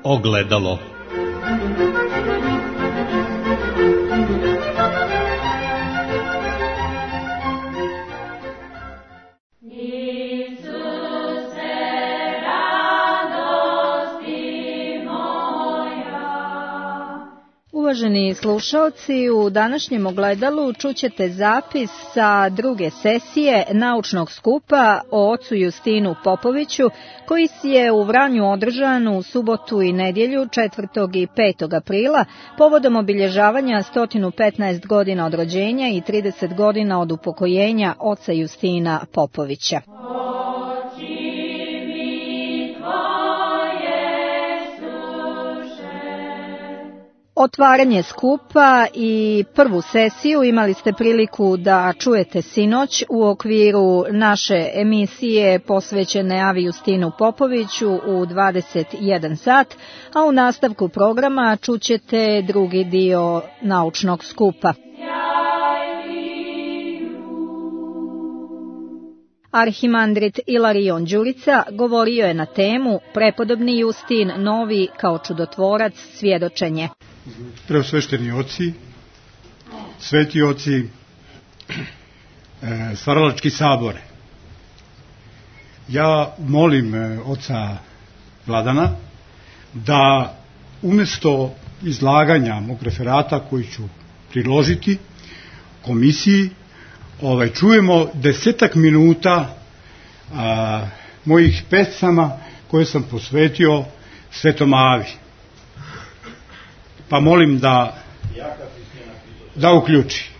ogledalo. Uvaženi slušaoci, u današnjem ogledalu čućete zapis sa druge sesije naučnog skupa o ocu Justinu Popoviću, koji je u Vranju održan u subotu i nedjelju 4. i 5. aprila povodom obilježavanja 115 godina od rođenja i 30 godina od upokojenja oca Justina Popovića. Otvaranje skupa i prvu sesiju imali ste priliku da čujete sinoć u okviru naše emisije posvećene Avi Justinu Popoviću u 21 sat, a u nastavku programa čućete drugi dio naučnog skupa. Arhimandrit Ilarion Đurica govorio je na temu Prepodobni Justin Novi kao čudotvorac svjedočenje. Preosvešteni oci, sveti oci, stvaralački sabore. Ja molim oca Vladana da umjesto izlaganja mog referata koji ću priložiti komisiji, čujemo 10 minuta mojih pesama koje sam posvetio Svetom Avi. Pa molim da uključi.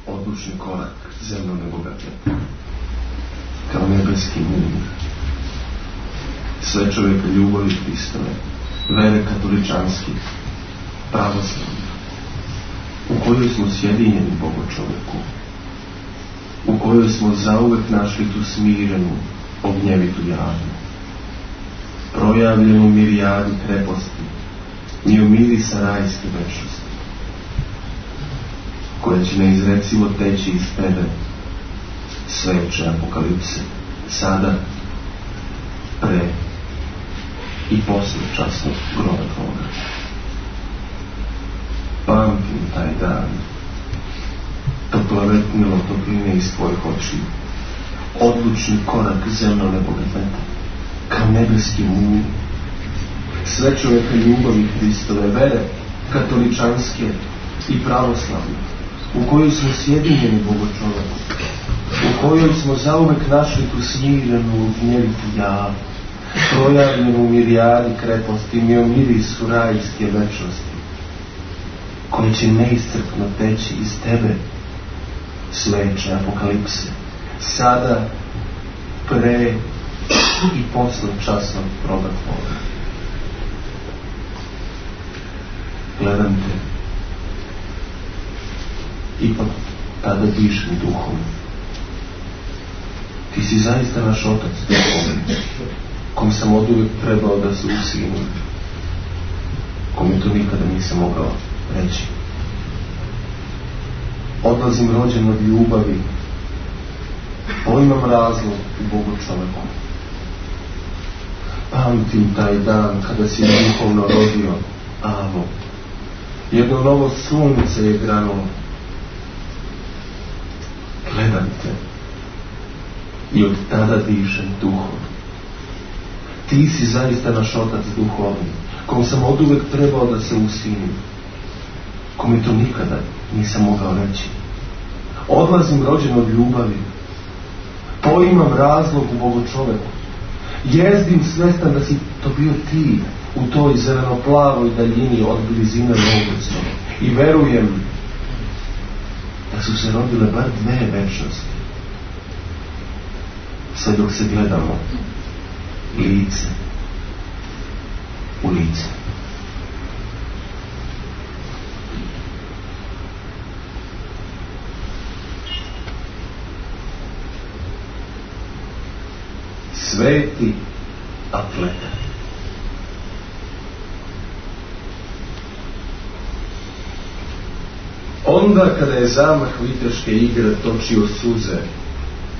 Odlučni korak zemljo nebogate, kao nebeski mir. Sve čovjeka ljubavi Hristove, vere katoličanski, pravoslavni, u kojoj smo sjedinjeni Bogu čovjeku, u kojoj smo zauvek našli tu smirenu, ognjevitu jadu, projavljenu mirijadi kreposti, i u mirisa rajske večnosti, koja će neizrecivo teći iz tebe, sveče apokalipse, sada, pre i posle časnog groba tvoga. Pamtim taj dan, toplavetnilo topline iz tvojih očiju, odlučni korak zemljo nebogate, kao nebeski mulj, sve čovjeka ljubavi Hristove, vere katoličanske i pravoslavne, u kojoj smo sjedinjeni Bogu čovjeku, u kojoj smo zauvek našli tu smirenu, gnjevitu javu, projavljenu u mirijadi kreposti, mi o mirisu rajske večnosti, koji će neiscrpno teći iz tebe, sveče apokalipse, sada, pre i posle časnog proga tvoga. Gledam te, ipak tada dišem duhom. Ti si zaista naš otac duhovni, kom sam oduvijek trebao da se usinim, kome to nikada nisam mogao reći. Odlazim rođen od ljubavi, imam razlog u Bogu čoveku. Pamtim taj dan kada si duhovno rodio, Avo. Jedno novo sunce je granulo. Gledam te i od tada dišem duhom. Ti si zaista naš otac duhovni, kom sam oduvek trebao da se usinim, kome to nikada nisam mogao reći. Odlazim rođen od ljubavi, poimam razlog u Bogu čoveku, jezdim svestan da si to bio ti, u toj zeleno-plavoj daljini od blizine Novogorskog, i verujem da su se rodile bar 2 večnosti, sve dok se gledamo lice u lice. Sveti atleta. Onda kada je zamah viteške igre točio suze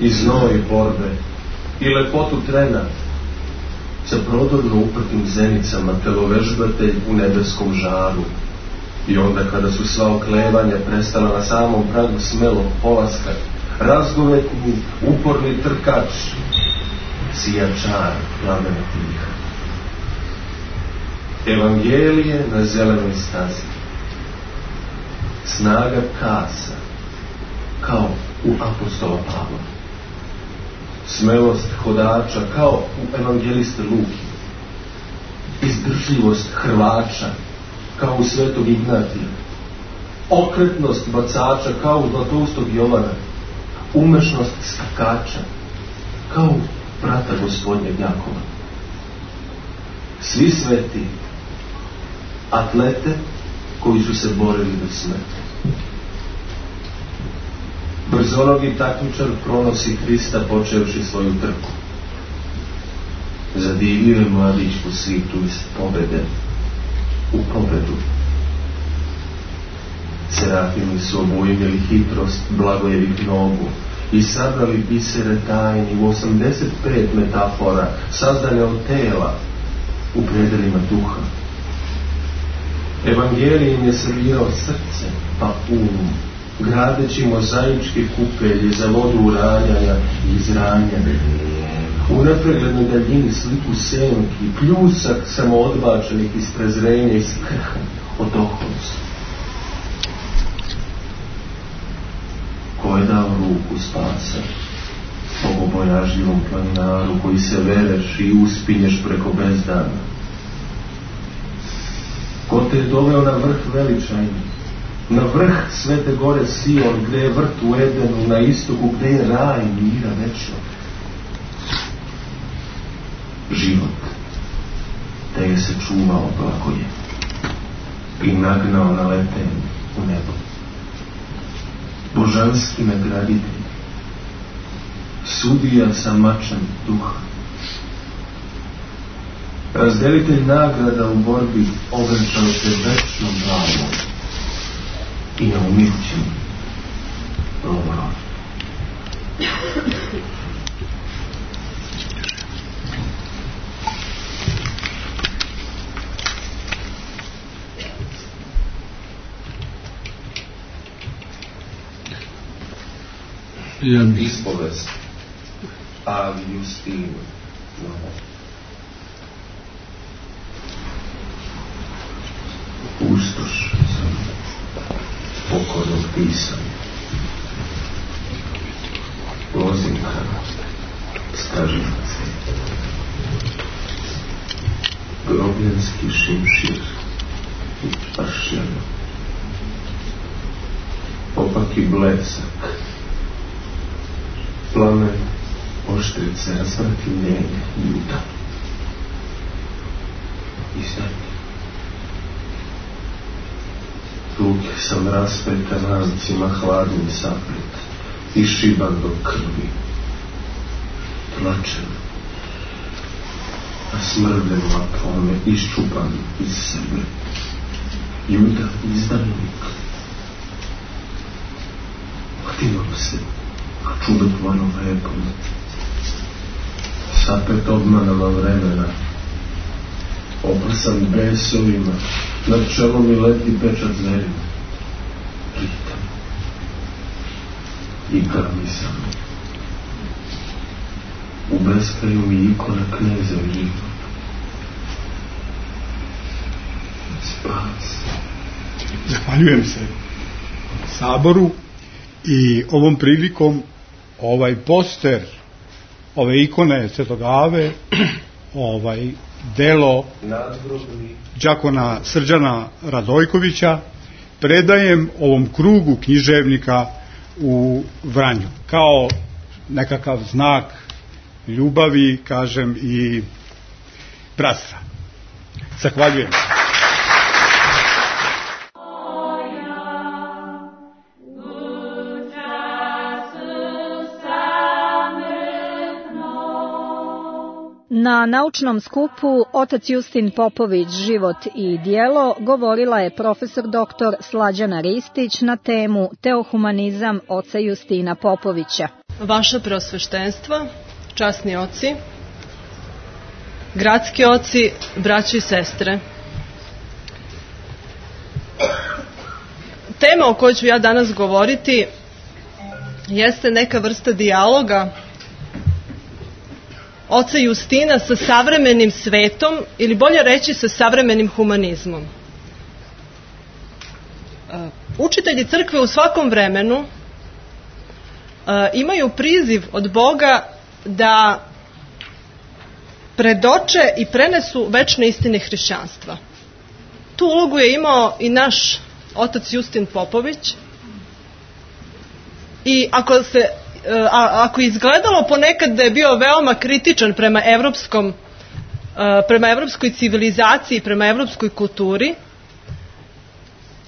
i znoj borbe i lepotu trena, sa prodorno uprtim zenicama, telovežbatelj u nebeskom žaru. I onda kada su sva oklevanja prestala na samom pragu smelog polaska, razgovetni, uporni trkač, sijačar plamena tiha. Evangelije na zelenoj stazi. Snaga kasa, kao u apostola Pavla. Smelost hodača, kao u evangeliste Luki. Izdržljivost hrvača, kao u svetog Ignatija. Okretnost bacača, kao u Zlatoustog Jovana. Umešnost skakača, kao u brata gospodnjeg Jakova. Svi sveti, atlete koji su se borili do smrti. Brzonogi takmičar pronosi Hrista počevši svoju trku. Zadivio je mladić po svitu iz pobede u pobedu. Serafimi su obujmili hitrost blagojevih nogu i sabrali bisere tajni u 85 metafora sazdane od tela u predelima duha. Evangelij im je servirao srce, pa gradeći mozaičke kupelje za vodu uranjanja i izranjanja. U nepreglednoj daljini sliku senki, pljusak samoodbačenih iz prezrenja i skrha od oholnosti. Ko je dao ruku spasa bogobojažljivom planinaru koji se vereš i uspinješ preko bezdana? Ko te je doveo na vrh veličajni, na vrh svete gore Sion, gde je vrt u Edenu, na istoku, gde je raj mira večnog? Život te je se čuvao blagoje i nagnao na letenje u nebo. Božanski nagraditelj, sudija sa mačem duha, razdelitelj nagrada u borbi, ovenčao se večnom glavom i neumirućim lovorom. Ispovest Avi Justinu. Pustoš sam pokornog pisanja. Lozinka, stažinac, grobljanski šimšir i pašćano, opaki blesak, plamen oštrice, razvrtimljenje Juda. Izdanje. Ruke sam raspeta lancima hladnim saplet, išiban do krvi, tlačen, a smrden vatrome, iščupan iz sebe. Juda, izdanik. Htivam se, a čudotvorno lepom, sapet obmanama vremena, oprsan besovima, nad čelom mi leti pečat zverima. Čitam. Igra mi samo. U beskraju mi ikona kneza život. Spas. Zahvaljujem se Saboru i ovom prilikom ovaj poster, ove ikone Svetog Ave, delo đakona Srđana Radojkovića predajem ovom krugu književnika u Vranju kao nekakav znak ljubavi, kažem, i bratstva. Zahvaljujem. Na naučnom skupu Otac Justin Popović, život i djelo govorila je profesor dr. Slađana Ristić na temu Teohumanizam oca Justina Popovića. Vaše preosveštenstva, časni oci, gradski oci, braće i sestre. Tema o kojoj ću ja danas govoriti jeste neka vrsta dijaloga oca Justina sa savremenim svetom, ili bolje reći sa savremenim humanizmom. Učitelji crkve u svakom vremenu imaju priziv od Boga da predoče i prenesu večne istine hrišćanstva. Tu ulogu je imao i naš otac Justin Popović. I ako je izgledalo ponekad da je bio veoma kritičan prema evropskoj civilizaciji, prema evropskoj kulturi,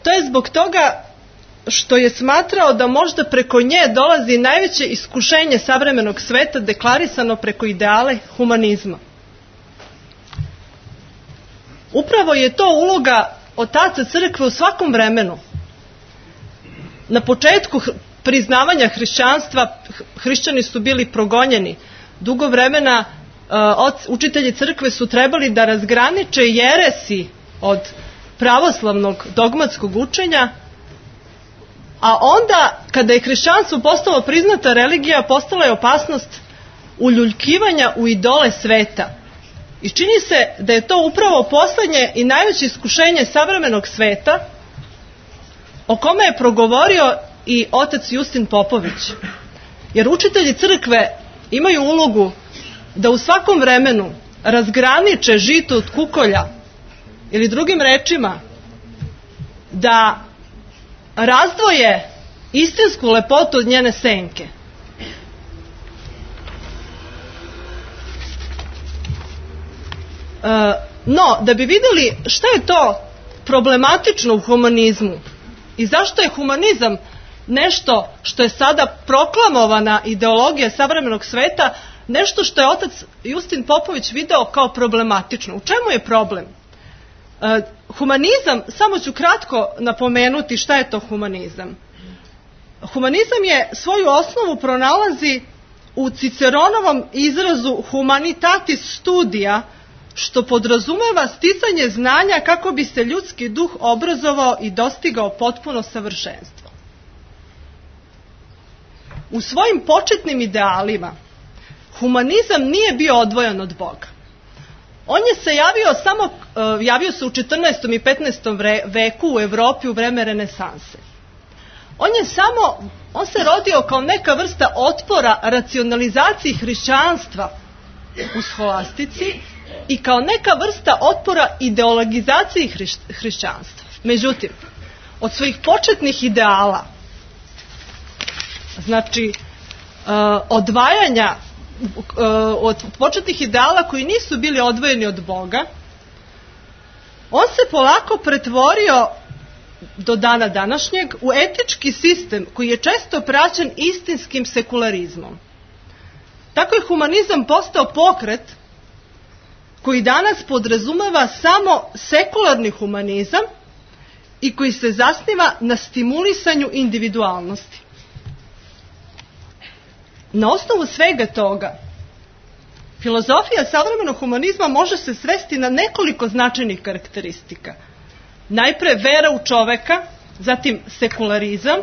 to je zbog toga što je smatrao da možda preko nje dolazi najveće iskušenje savremenog sveta deklarisano preko ideale humanizma. Upravo je to uloga otaca crkve u svakom vremenu. Na početku priznavanja hrišćanstva, hrišćani su bili progonjeni. Dugo vremena učitelji crkve su trebali da razgraniče jeresi od pravoslavnog dogmatskog učenja, a onda kada je hrišćanstvo postalo priznata religija, postala je opasnost uljuljkivanja u idole sveta. I čini se da je to upravo poslednje i najveće iskušenje savremenog sveta, o kome je progovorio i otac Justin Popović. Jer učitelji crkve imaju ulogu da u svakom vremenu razgraniče žito od kukolja, ili drugim rečima, da razdvoje istinsku lepotu od njene senke. No, da bi vidjeli šta je to problematično u humanizmu i zašto je humanizam nešto što je sada proklamovana ideologija savremenog sveta, nešto što je otac Justin Popović video kao problematično. U čemu je problem? Humanizam, samo ću kratko napomenuti šta je to humanizam. Humanizam je svoju osnovu pronalazi u Ciceronovom izrazu humanitatis studia, što podrazumeva sticanje znanja kako bi se ljudski duh obrazovao i dostigao potpuno savršenstvo. U svojim početnim idealima humanizam nije bio odvojen od Boga. On je se javio se u 14. i 15. veku u Evropi u vreme renesanse. On se rodio kao neka vrsta otpora racionalizaciji hrišćanstva u scholastici i kao neka vrsta otpora ideologizaciji hrišćanstva. Međutim, od svojih početnih ideala, znači odvajanja, od početnih ideala koji nisu bili odvojeni od Boga, on se polako pretvorio do dana današnjeg u etički sistem koji je često praćen istinskim sekularizmom. Tako je humanizam postao pokret koji danas podrazumeva samo sekularni humanizam i koji se zasniva na stimulisanju individualnosti. Na osnovu svega toga, filozofija savremenog humanizma može se svesti na nekoliko značajnih karakteristika. Najpre vera u čoveka, zatim sekularizam,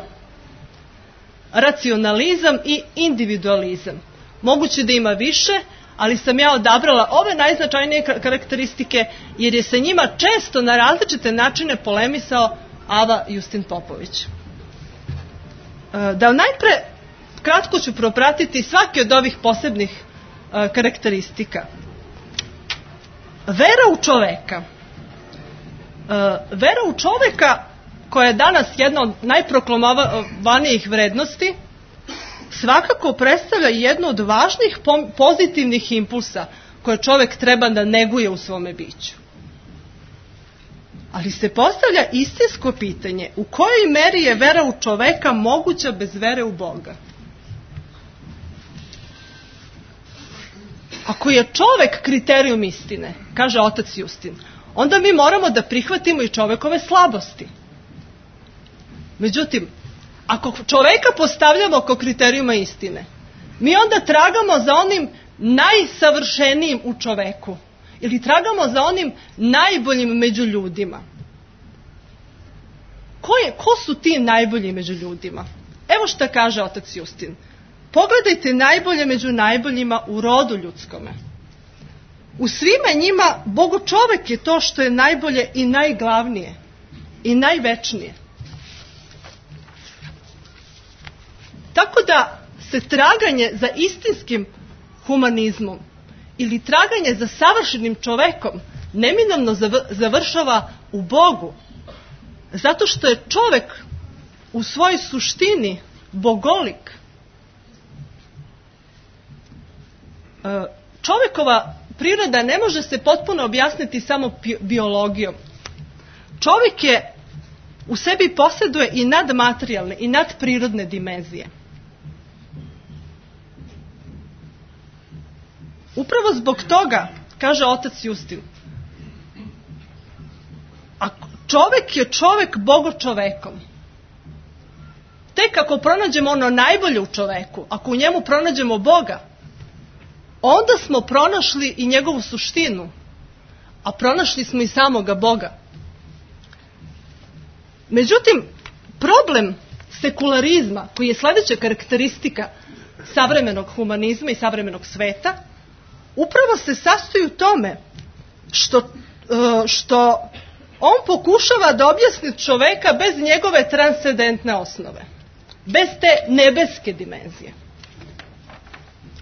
racionalizam i individualizam. Moguće da ima više, ali sam ja odabrala ove najznačajnije karakteristike jer je sa njima često na različite načine polemisao Ava Justin Popović. Da najpre kratko ću propratiti svaki od ovih posebnih karakteristika. Vera u čoveka. Vera u čoveka, koja je danas jedna od najproklamovanijih vrednosti, svakako predstavlja jednu od važnih pozitivnih impulsa koje čovek treba da neguje u svome biću. Ali se postavlja istinsko pitanje, u kojoj meri je vera u čoveka moguća bez vere u Boga? Ako je čovek kriterijum istine, kaže otac Justin, onda mi moramo da prihvatimo i čovekove slabosti. Međutim, ako čoveka postavljamo kao kriterijuma istine, mi onda tragamo za onim najsavršenijim u čoveku ili tragamo za onim najboljim među ljudima? Ko su ti najbolji među ljudima? Evo šta kaže otac Justin. Pogledajte najbolje među najboljima u rodu ljudskome. U svima njima Bogočovek je to što je najbolje i najglavnije i največnije. Tako da se traganje za istinskim humanizmom ili traganje za savršenim čovekom neminovno završava u Bogu. Zato što je čovek u svojoj suštini bogolik. Čovekova priroda ne može se potpuno objasniti samo biologijom. Čovjek je u sebi posjeduje i nadmaterijalne i nadprirodne dimenzije. Upravo zbog toga, kaže otac Justin, a čovjek je čovjek bogočovekom. Tek ako pronađemo ono najbolje u čoveku, ako u njemu pronađemo Boga, onda smo pronašli i njegovu suštinu, a pronašli smo i samoga Boga. Međutim, problem sekularizma, koji je sljedeća karakteristika savremenog humanizma i savremenog sveta, upravo se sastoji u tome što on pokušava da objasni čoveka bez njegove transcendentne osnove, bez te nebeske dimenzije.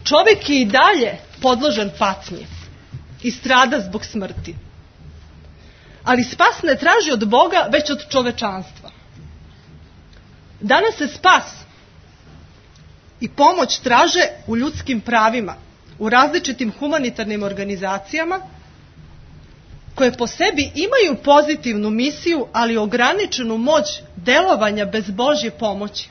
Čovjek je i dalje podložen patnji i strada zbog smrti. Ali spas ne traži od Boga, već od čovečanstva. Danas se spas i pomoć traže u ljudskim pravima, u različitim humanitarnim organizacijama, koje po sebi imaju pozitivnu misiju, ali ograničenu moć delovanja bez Božje pomoći.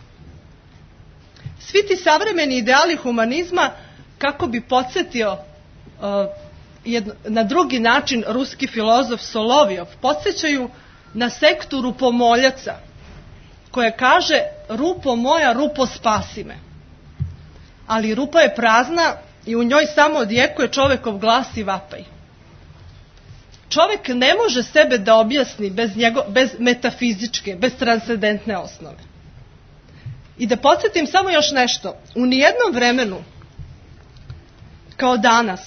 Svi ti savremeni ideali humanizma, kako bi podsjetio na drugi način ruski filozof Solovjov, podsjećaju na sektu rupomoljaca, koja kaže: rupo moja, rupo spasi me. Ali rupa je prazna i u njoj samo odjekuje čovekov glas i vapaj. Čovjek ne može sebe da objasni bez metafizičke, bez transcendentne osnove. I da podsjetim samo još nešto. U nijednom vremenu, kao danas,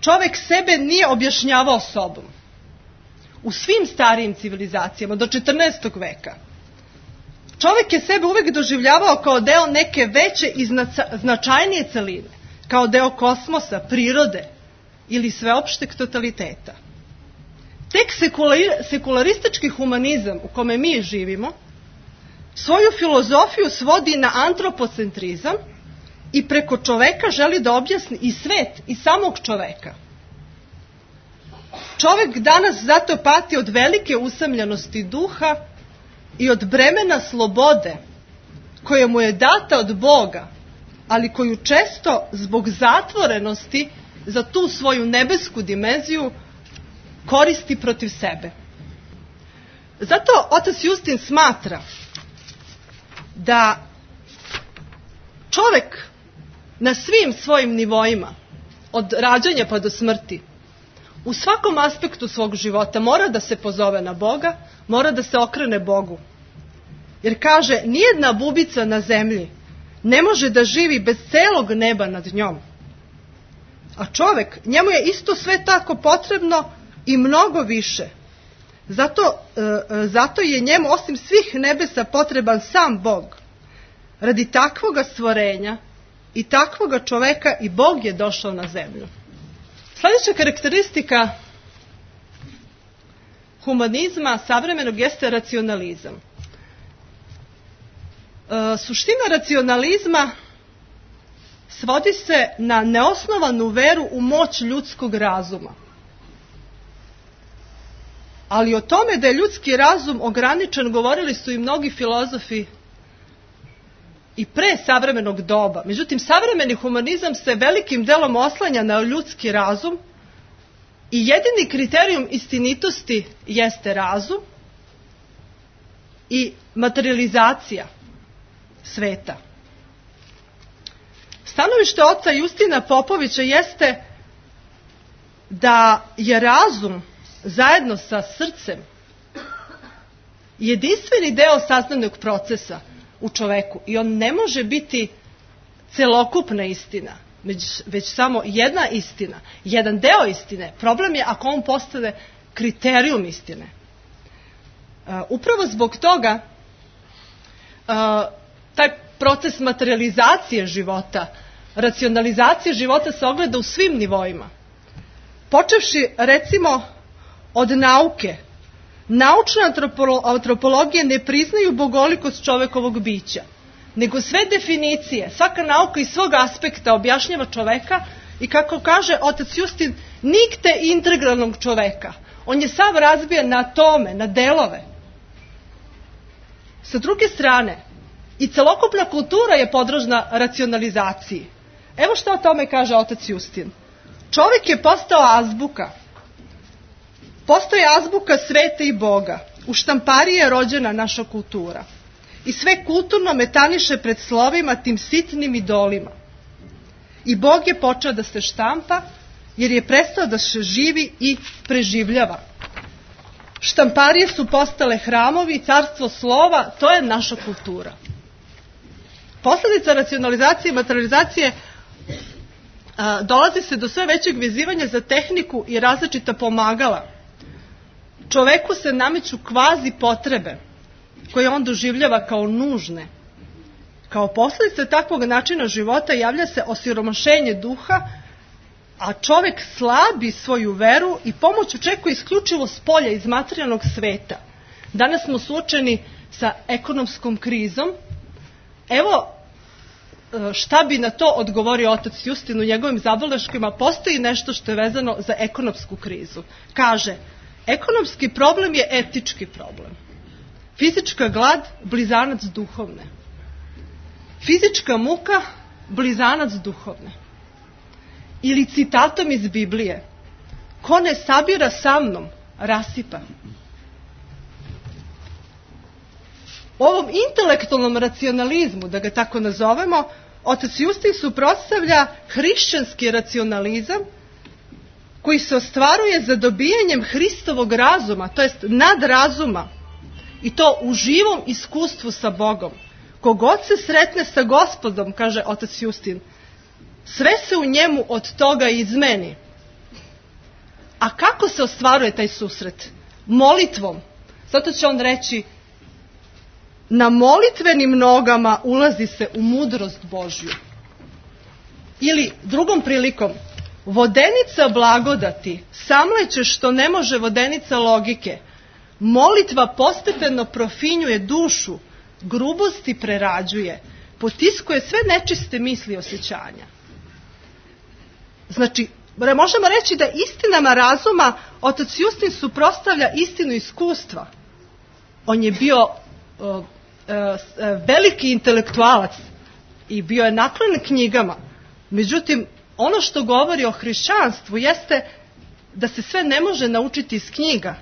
čovjek sebe nije objašnjavao sobom. U svim starijim civilizacijama, do 14. veka, čovjek je sebe uvijek doživljavao kao deo neke veće i značajnije celine, kao deo kosmosa, prirode ili sveopšteg totaliteta. Tek sekularistički humanizam u kome mi živimo svoju filozofiju svodi na antropocentrizam i preko čoveka želi da objasni i svet i samog čoveka. Čovek danas zato pati od velike usamljenosti duha i od bremena slobode koja mu je data od Boga, ali koju često zbog zatvorenosti za tu svoju nebesku dimenziju koristi protiv sebe. Zato otac Justin smatra da čovek na svim svojim nivoima, od rađanja pa do smrti, u svakom aspektu svog života mora da se pozove na Boga, mora da se okrene Bogu. Jer kaže, nijedna bubica na zemlji ne može da živi bez celog neba nad njom. A čovek, njemu je isto sve tako potrebno i mnogo više. Zato je njemu osim svih nebesa potreban sam Bog. Radi takvoga stvorenja i takvoga čoveka i Bog je došao na zemlju. Sljedeća karakteristika humanizma savremenog jeste racionalizam. Suština racionalizma svodi se na neosnovanu veru u moć ljudskog razuma. Ali o tome da je ljudski razum ograničen govorili su i mnogi filozofi i pre savremenog doba. Međutim, savremeni humanizam se velikim delom oslanja na ljudski razum i jedini kriterijum istinitosti jeste razum i materializacija sveta. Stanovište oca Justina Popovića jeste da je razum zajedno sa srcem jedinstveni deo saznajnog procesa u čoveku i on ne može biti celokupna istina, već samo jedna istina, jedan deo istine. Problem je ako on postane kriterijum istine. Upravo zbog toga taj proces materializacije života, racionalizacije života se ogleda u svim nivoima. Počevši recimo od nauke. Naučna antropologija ne priznaju bogolikost čovekovog bića, nego sve definicije, svaka nauka iz svog aspekta objašnjava čoveka i kako kaže otac Justin, nikte integralnog čoveka. On je sav razbijan na atome, na delove. Sa druge strane, i celokupna kultura je podložna racionalizaciji. Evo što o tome kaže otac Justin. Čovjek je postao azbuka. Postoji azbuka sveta i Boga. U štampariji je rođena naša kultura. I sve kulturno metaniše pred slovima tim sitnim idolima. I Bog je počeo da se štampa, jer je prestao da se živi i preživljava. Štamparije su postale hramovi, carstvo slova, to je naša kultura. Posljedica racionalizacije i materializacije dolazi se do sve većeg vezivanja za tehniku i različita pomagala. Čoveku se nameću kvazi potrebe, koje on doživljava kao nužne. Kao posljedica takvog načina života javlja se osiromašenje duha, a čovek slabi svoju veru i pomoć očekuje isključivo s polja iz materijalnog sveta. Danas smo suočeni sa ekonomskom krizom. Evo šta bi na to odgovorio otac Justin u njegovim zabeleškama. Postoji nešto što je vezano za ekonomsku krizu. Kaže, ekonomski problem je etički problem. Fizička glad, blizanac duhovne. Fizička muka, blizanac duhovne. Ili citatom iz Biblije, ko ne sabira sa mnom, rasipa. Ovom intelektualnom racionalizmu, da ga tako nazovemo, otac Justin suprotstavlja hrišćanski racionalizam koji se ostvaruje za dobijanjem Hristovog razuma, to jest nadrazuma, i to u živom iskustvu sa Bogom. Kogod se sretne sa Gospodom, kaže otac Justin, sve se u njemu od toga izmeni. A kako se ostvaruje taj susret? Molitvom. Zato će on reći, na molitvenim nogama ulazi se u mudrost Božju. Ili drugom prilikom, vodenica blagodati samleće što ne može vodenica logike. Molitva postepeno profinjuje dušu, grubosti prerađuje, potiskuje sve nečiste misli i osjećanja. Znači, možemo reći da istinama razuma otac Justin suprotstavlja istinu iskustva. On je bio veliki intelektualac i bio je naklonjen knjigama. Međutim, ono što govori o hrišćanstvu jeste da se sve ne može naučiti iz knjiga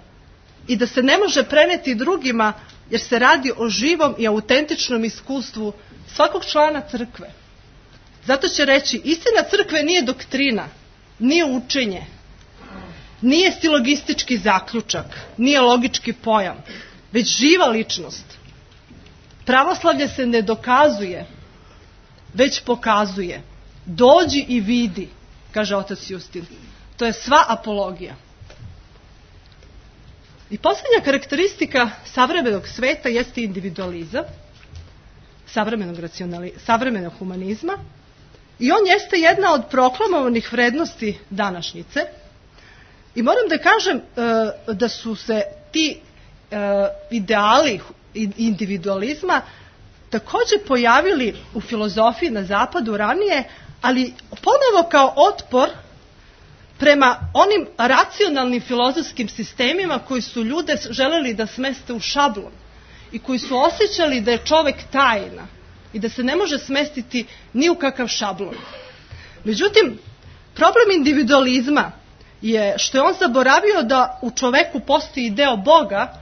i da se ne može preneti drugima, jer se radi o živom i autentičnom iskustvu svakog člana crkve. Zato će reći, istina crkve nije doktrina, nije učenje, nije silogistički zaključak, nije logički pojam, već živa ličnost. Pravoslavlje se ne dokazuje, već pokazuje. Dođi i vidi, kaže otac Justin. To je sva apologija. I posljednja karakteristika savremenog sveta jeste individualizam, savremenog humanizma, i on jeste jedna od proklamovanih vrednosti današnjice. I moram da kažem da su se ti ideali individualizma također pojavili u filozofiji na zapadu ranije, ali ponovo kao otpor prema onim racionalnim filozofskim sistemima koji su ljude želeli da smeste u šablon i koji su osjećali da je čovek tajna i da se ne može smestiti ni u kakav šablon. Međutim, problem individualizma je što je on zaboravio da u čoveku postoji deo Boga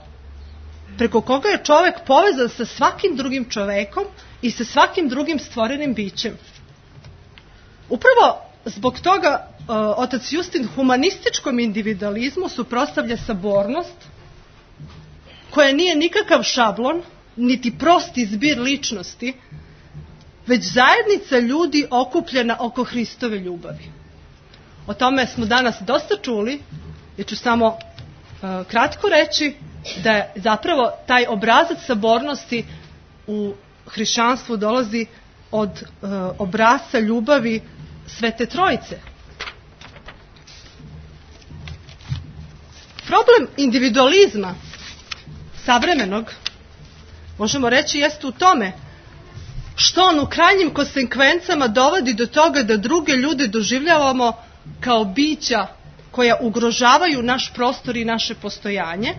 preko koga je čovek povezan sa svakim drugim čovekom i sa svakim drugim stvorenim bićem. Upravo zbog toga otac Justin humanističkom individualizmu suprotstavlja sabornost, koja nije nikakav šablon, niti prosti zbir ličnosti, već zajednica ljudi okupljena oko Hristove ljubavi. O tome smo danas dosta čuli, ja ću samo kratko reći da je zapravo taj obrazac sabornosti u hrišćanstvu dolazi od obrazca ljubavi Svete Trojice. Problem individualizma savremenog, možemo reći, jeste u tome što on u krajnjim konsekvencama dovodi do toga da druge ljude doživljavamo kao bića koja ugrožavaju naš prostor i naše postojanje.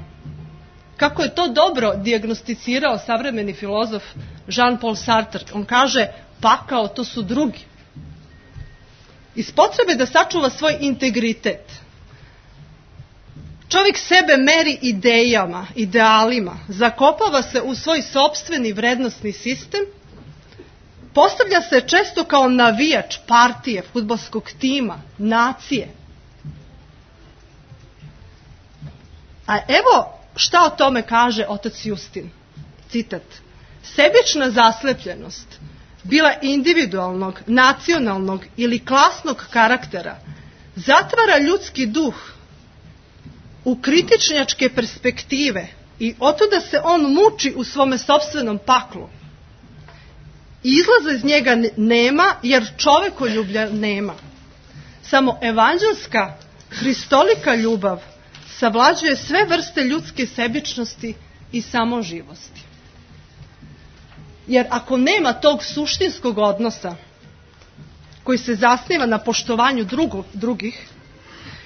Kako je to dobro dijagnosticirao savremeni filozof Jean-Paul Sartre. On kaže, pakao to su drugi. Iz potrebe da sačuva svoj integritet, čovjek sebe meri idejama, idealima, zakopava se u svoj sopstveni vrednosni sistem, postavlja se često kao navijač partije, fudbalskog tima, nacije. A evo šta o tome kaže otac Justin. Citat. Sebična zaslepljenost, bila individualnog, nacionalnog ili klasnog karaktera, zatvara ljudski duh u kritičnjačke perspektive i otuda se on muči u svome sopstvenom paklu. Izlaza iz njega nema, jer čovekoljublja nema. Samo evanđelska, hristolika ljubav savlađuje sve vrste ljudske sebičnosti i samoživosti. Jer ako nema tog suštinskog odnosa koji se zasniva na poštovanju drugih,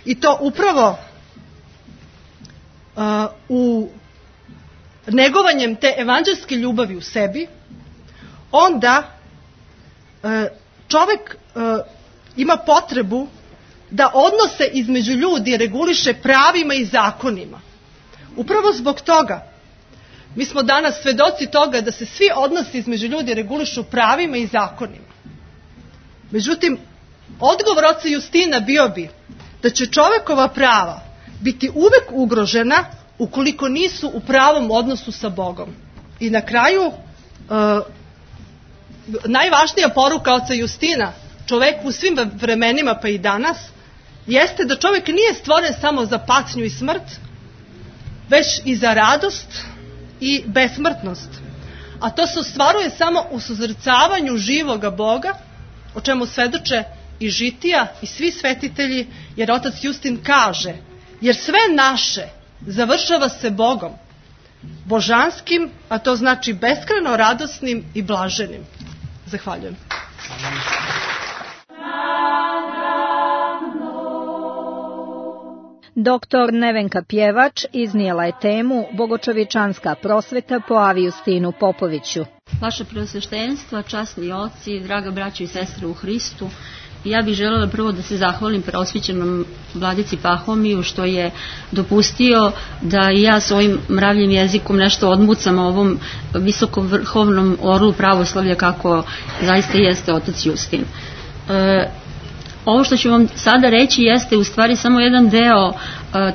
i to upravo u negovanjem te evanđelske ljubavi u sebi, onda čovjek ima potrebu da odnose između ljudi reguliše pravima i zakonima. Upravo zbog toga mi smo danas svedoci toga da se svi odnosi između ljudi regulišu pravima i zakonima. Međutim, odgovor oca Justina bio bi da će čovjekova prava biti uvek ugrožena ukoliko nisu u pravom odnosu sa Bogom. I na kraju, najvažnija poruka oca Justina čoveku u svim vremenima pa i danas jeste da čovjek nije stvoren samo za patnju i smrt, već i za radost i besmrtnost. A to se ostvaruje samo u suzrcavanju živoga Boga, o čemu svedoče i žitija i svi svetitelji, jer otac Justin kaže, jer sve naše završava se Bogom, božanskim, a to znači beskrajno radosnim i blaženim. Zahvaljujem. Doktor Nevenka Pjevač iznijela je temu Bogočovječanska prosveta po Avijustinu Popoviću. Vaše preosveštenstva, časni oci, draga braćo i sestre u Hristu, ja bih željela prvo da se zahvalim preosvećenom vladici Pahomiju što je dopustio da i ja svojim mravljim jezikom nešto odmucam o ovom visokovrhovnom orlu pravoslavlja kako zaista jeste otac Justin. Ovo što ću vam sada reći jeste u stvari samo jedan deo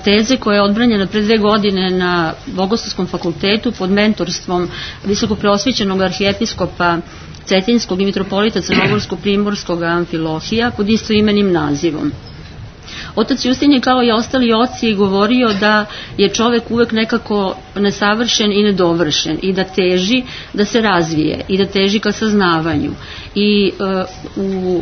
teze koja je odbranjena pre 2 godine na Bogoslovskom fakultetu pod mentorstvom visokopreosvećenog arhijepiskopa Cetinskog i mitropolita Crnogorsko-primorskog Amfilohija pod istoimenim nazivom. Otac Justin je kao i ostali oci govorio da je čovek uvek nekako nesavršen i nedovršen i da teži da se razvije i da teži ka saznavanju. I u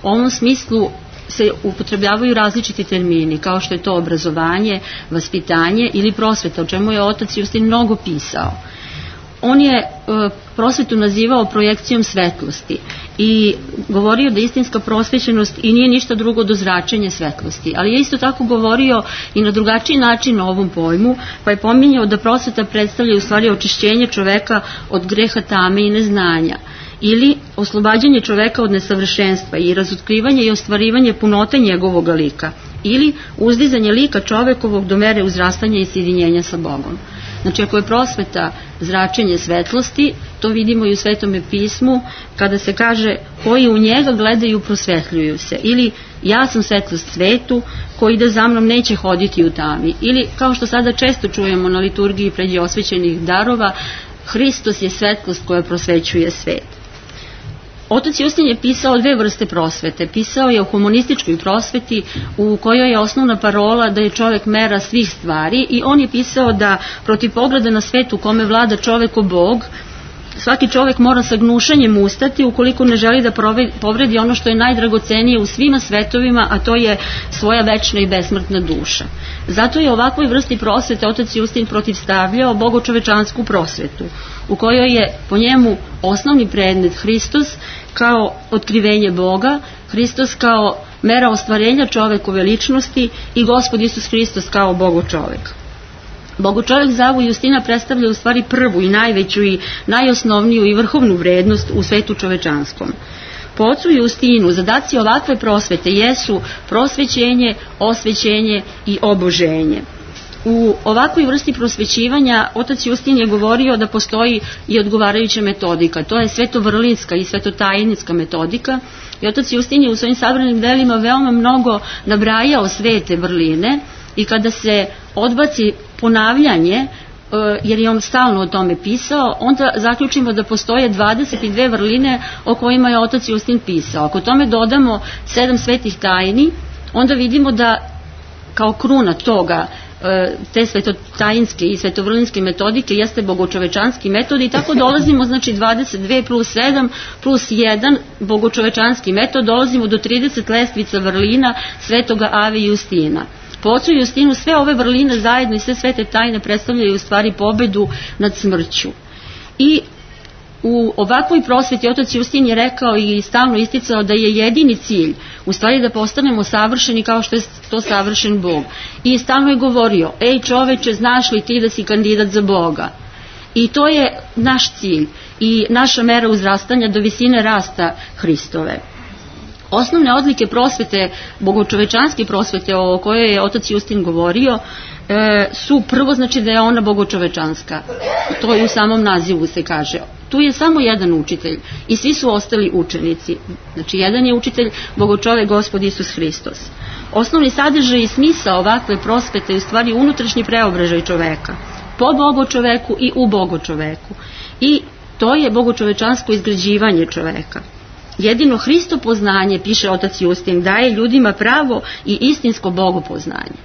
ovom smislu se upotrebljavaju različiti termini kao što je to obrazovanje, vaspitanje ili prosveta, o čemu je otac Justin mnogo pisao. On je prosvetu nazivao projekcijom svetlosti i govorio da istinska prosvećenost i nije ništa drugo do zračenja svetlosti, ali je isto tako govorio i na drugačiji način o ovom pojmu, pa je pominjao da prosveta predstavlja u stvari očišćenje čoveka od greha tame i neznanja, ili oslobađanje čoveka od nesavršenstva i razotkrivanje i ostvarivanje punote njegovog lika, ili uzdizanje lika čovekovog do mere uzrastanja i sjedinjenja sa Bogom. Znači, ako je prosveta zračenje svetlosti, to vidimo i u Svetome pismu, kada se kaže koji u njega gledaju prosvetljuju se, ili ja sam svetlost svetu, ko ide za mnom neće hoditi u tami, ili kao što sada često čujemo na liturgiji pred osvećenih darova, Hristos je svetlost koja prosvećuje svet. Otac Justin je pisao 2 vrste prosvete. Pisao je o humanističkoj prosveti u kojoj je osnovna parola da je čovek mera svih stvari, i on je pisao da protiv pogleda na svet u kome vlada čovek o Bog, svaki čovek mora sa gnušanjem ustati ukoliko ne želi da povredi ono što je najdragocenije u svima svetovima, a to je svoja večna i besmrtna duša. Zato je ovakvoj vrsti prosvete otac Justin protivstavljao bogočovečansku prosvetu, u kojoj je po njemu osnovni predmet Hristos kao otkrivenje Boga, Hristos kao mera ostvarenja čovekove ličnosti i Gospod Isus Hristos kao Bogočovek. Bogočovek za Avu Justina predstavlja u stvari prvu i najveću i najosnovniju i vrhovnu vrednost u svetu čovečanskom. Po ocu Justinu zadaci ovakve prosvete jesu prosvećenje, osvećenje i oboženje. U ovakvoj vrsti prosvećivanja otac Justin je govorio da postoji i odgovarajuća metodika, to je svetovrlinska i svetotajinska metodika, i otac Justin je u svojim sabranim delima veoma mnogo nabrajao svete vrline, i kada se odbaci ponavljanje, jer je on stalno o tome pisao, onda zaključimo da postoje 22 vrline o kojima je otac Justin pisao. Ako tome dodamo 7 svetih tajni, onda vidimo da kao kruna toga, te svetotajinske i svetovrlinske metodike jeste bogočovečanski metod, i tako dolazimo, znači 22 plus 7 plus 1 bogočovečanski metod, dolazimo do 30 lestvica vrlina svetoga Ave Justina. Po ocu Justinu sve ove vrline zajedno i sve svete tajne predstavljaju u stvari pobedu nad smrću. I u ovakvoj prosveti otac Justin je rekao i stalno isticao da je jedini cilj u stvari da postanemo savršeni kao što je to savršen Bog. I stalno je govorio, ej čoveče, znaš li ti da si kandidat za Boga? I to je naš cilj i naša mera uzrastanja do visine rasta Hristove. Osnovne odlike prosvete, bogočovečanske prosvete o kojoj je otac Justin govorio, su prvo, znači da je ona bogočovečanska. To i u samom nazivu se kaže. Tu je samo jedan učitelj i svi su ostali učenici. Znači jedan je učitelj, bogočovek, Gospod Isus Hristos. Osnovni sadržaj i smisao ovakve prosvete je u stvari unutrašnji preobražaj čoveka. Po bogočoveku i u bogočoveku. I to je bogočovečansko izgrađivanje čoveka. Jedino Hristo poznanje, piše otac Justin, daje ljudima pravo i istinsko bogopoznanje.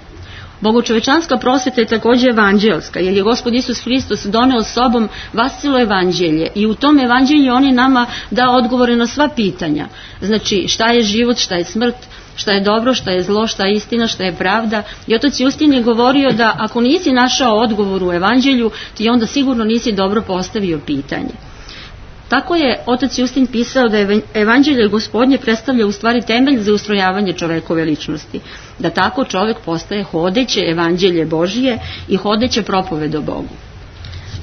Bogočovečanska prosveta je takođe evanđelska, jer je Gospod Isus Hristos doneo sobom vascelo evanđelje i u tom evanđelju on je nama dao odgovore na sva pitanja. Znači šta je život, šta je smrt, šta je dobro, šta je zlo, šta je istina, šta je pravda. I otac Justin je govorio da ako nisi našao odgovor u evanđelju, ti onda sigurno nisi dobro postavio pitanje. Tako je otac Justin pisao da evanđelje Gospodnje predstavlja u stvari temelj za ustrojavanje čovekove ličnosti, da tako čovek postaje hodeće evanđelje Božije i hodeće propoved o Bogu.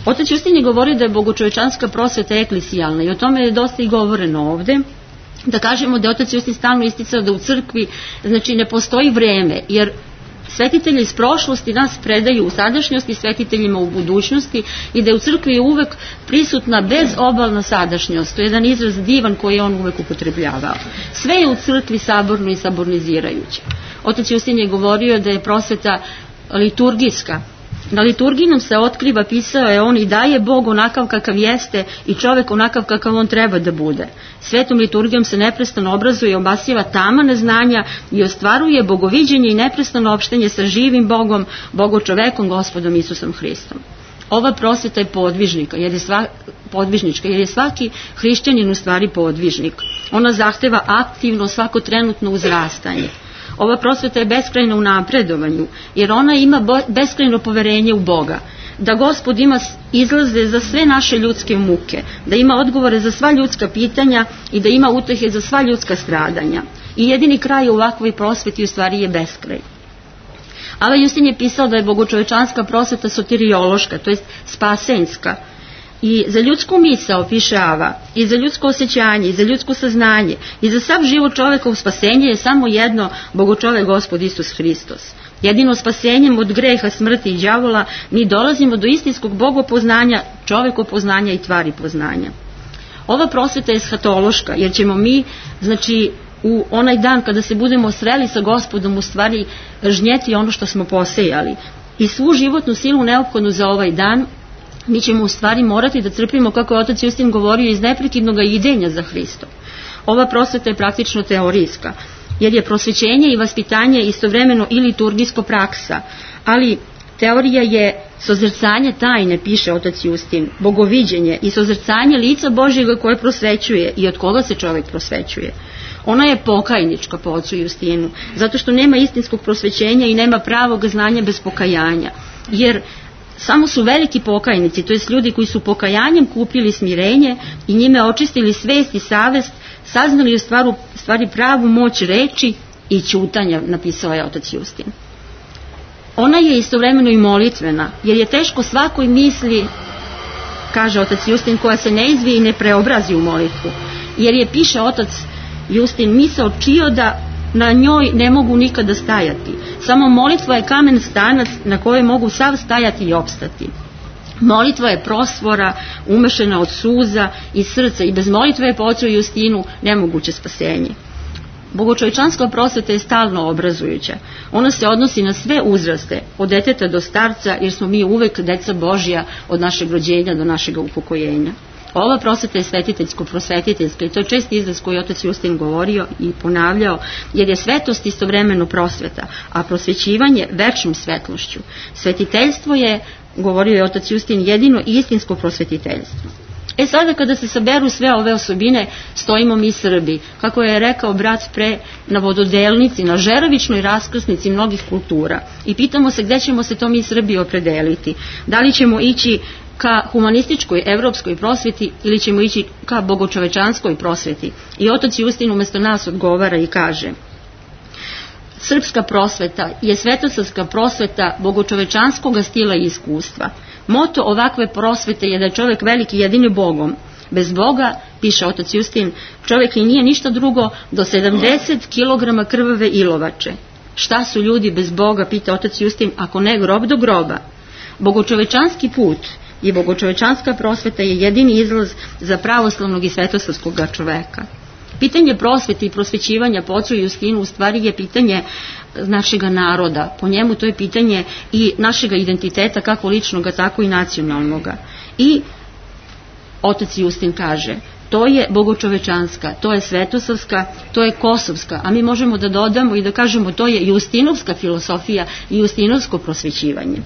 Otac Justin je govorio da je bogočovečanska prosveta eklesijalna i o tome je dosta i govoreno ovde. Da kažemo da je otac Justin stalno isticao da u crkvi znači ne postoji vreme, jer svetitelji iz prošlosti nas predaju u sadašnjosti svetiteljima u budućnosti i da je u crkvi uvek prisutna bezobalna sadašnjost. To je jedan izraz divan koji je on uvek upotrebljavao. Sve je u crkvi saborno i sabornizirajuće. Otac Justin je govorio da je prosveta liturgijska. Na liturgiji nam se otkriva, pisao je on, i daje Bog onakav kakav jeste i čovek onakav kakav on treba da bude. Svetom liturgijom se neprestano obrazuje i obasjeva tama neznanja i ostvaruje bogoviđenje i neprestano opštenje sa živim Bogom, bogočovekom, Gospodom Isusom Hristom. Ova prosveta je podvižnička, jer je svaki hrišćanin u stvari podvižnik. Ona zahteva aktivno svakotrenutno uzrastanje. Ova prosveta je beskrajna u napredovanju, jer ona ima beskrajno poverenje u Boga, da Gospod ima izlaze za sve naše ljudske muke, da ima odgovore za sva ljudska pitanja i da ima utehe za sva ljudska stradanja. I jedini kraj u ovakvoj prosveti u stvari je beskraj. Ava Justin je pisao da je bogočovečanska prosveta soteriološka, to jest spasenska. I za ljudsku misao, piše Ava, i za ljudsko osjećanje, i za ljudsko saznanje, i za sav život čoveka u spasenje je samo jedno, bogočovek Gospod Isus Hristos. Jedino spasenjem od greha, smrti i đavola mi dolazimo do istinskog bogopoznanja, čovekopoznanja i tvari poznanja. Ova prosveta je eshatološka, jer ćemo mi, znači, u onaj dan kada se budemo sreli sa Gospodom, u stvari žnjeti ono što smo posejali. I svu životnu silu neophodnu za ovaj dan mi ćemo u stvari morati da crpimo, kako je otac Justin govorio, iz neprekidnog idenja za Hristom. Ova prosveta je praktično teorijska, jer je prosvećenje i vaspitanje istovremeno i liturgijsko praksa, ali teorija je sozrcanje tajne, piše otac Justin, bogoviđenje i sozrcanje lica Božjega koje prosvećuje i od koga se čovjek prosvećuje. Ona je pokajnička po ocu Justinu, zato što nema istinskog prosvećenja i nema pravog znanja bez pokajanja, jer samo su veliki pokajnici, to jest ljudi koji su pokajanjem kupili smirenje i njime očistili svest i savest, saznali u stvari pravu moć reči i ćutanja, napisao je otac Justin. Ona je istovremeno i molitvena, jer je teško svakoj misli, kaže otac Justin, koja se ne izvije i ne preobrazi u molitvu, jer je, piše otac Justin, misao čioda na njoj ne mogu nikada stajati. Samo molitva je kamen stanac na kojoj mogu sav stajati i opstati. Molitva je prosvora umešena od suza i srca i bez molitve je po ocu Justinu nemoguće spasenje. Bogočovečanska prosveta je stalno obrazujuća. Ona se odnosi na sve uzraste, od deteta do starca, jer smo mi uvek deca Božja od našeg rođenja do našeg upokojenja. Ova prosveta je svetiteljsko-prosvetiteljska i to je čest izraz koji je otac Justin govorio i ponavljao, jer je svetost istovremeno prosveta, a prosvećivanje večnom svetlošću. Svetiteljstvo je, govorio je otac Justin, jedino istinsko prosvetiteljstvo. Sada kada se saberu sve ove osobine, stojimo mi Srbi, kako je rekao brat pre, na vododelnici, na žerovičnoj raskrsnici mnogih kultura i pitamo se gde ćemo se to mi Srbi opredeliti. Da li ćemo ići ka humanističkoj evropskoj prosveti ili ćemo ići ka bogočovečanskoj prosveti. I otac Justin umesto nas odgovara i kaže: srpska prosveta je svetosavska prosveta bogočovečanskog stila i iskustva. Moto ovakve prosvete je da je čovjek veliki jedini Bogom. Bez Boga, piše otac Justin, čovjek i nije ništa drugo do 70 kg krvave ilovače. Šta su ljudi bez Boga, pita otac Justin, ako ne grob do groba? Bogočovečanski put i bogočovečanska prosveta je jedini izlaz za pravoslavnog i svetosavskog čoveka. Pitanje prosvete i prosvećivanja po ocu Justinu u stvari je pitanje našega naroda. Po njemu to je pitanje i našega identiteta, kako ličnoga, tako i nacionalnoga. I otac Justin kaže, to je bogočovečanska, to je svetosavska, to je kosovska, a mi možemo da dodamo i da kažemo to je justinovska filosofija i justinovsko prosvećivanje.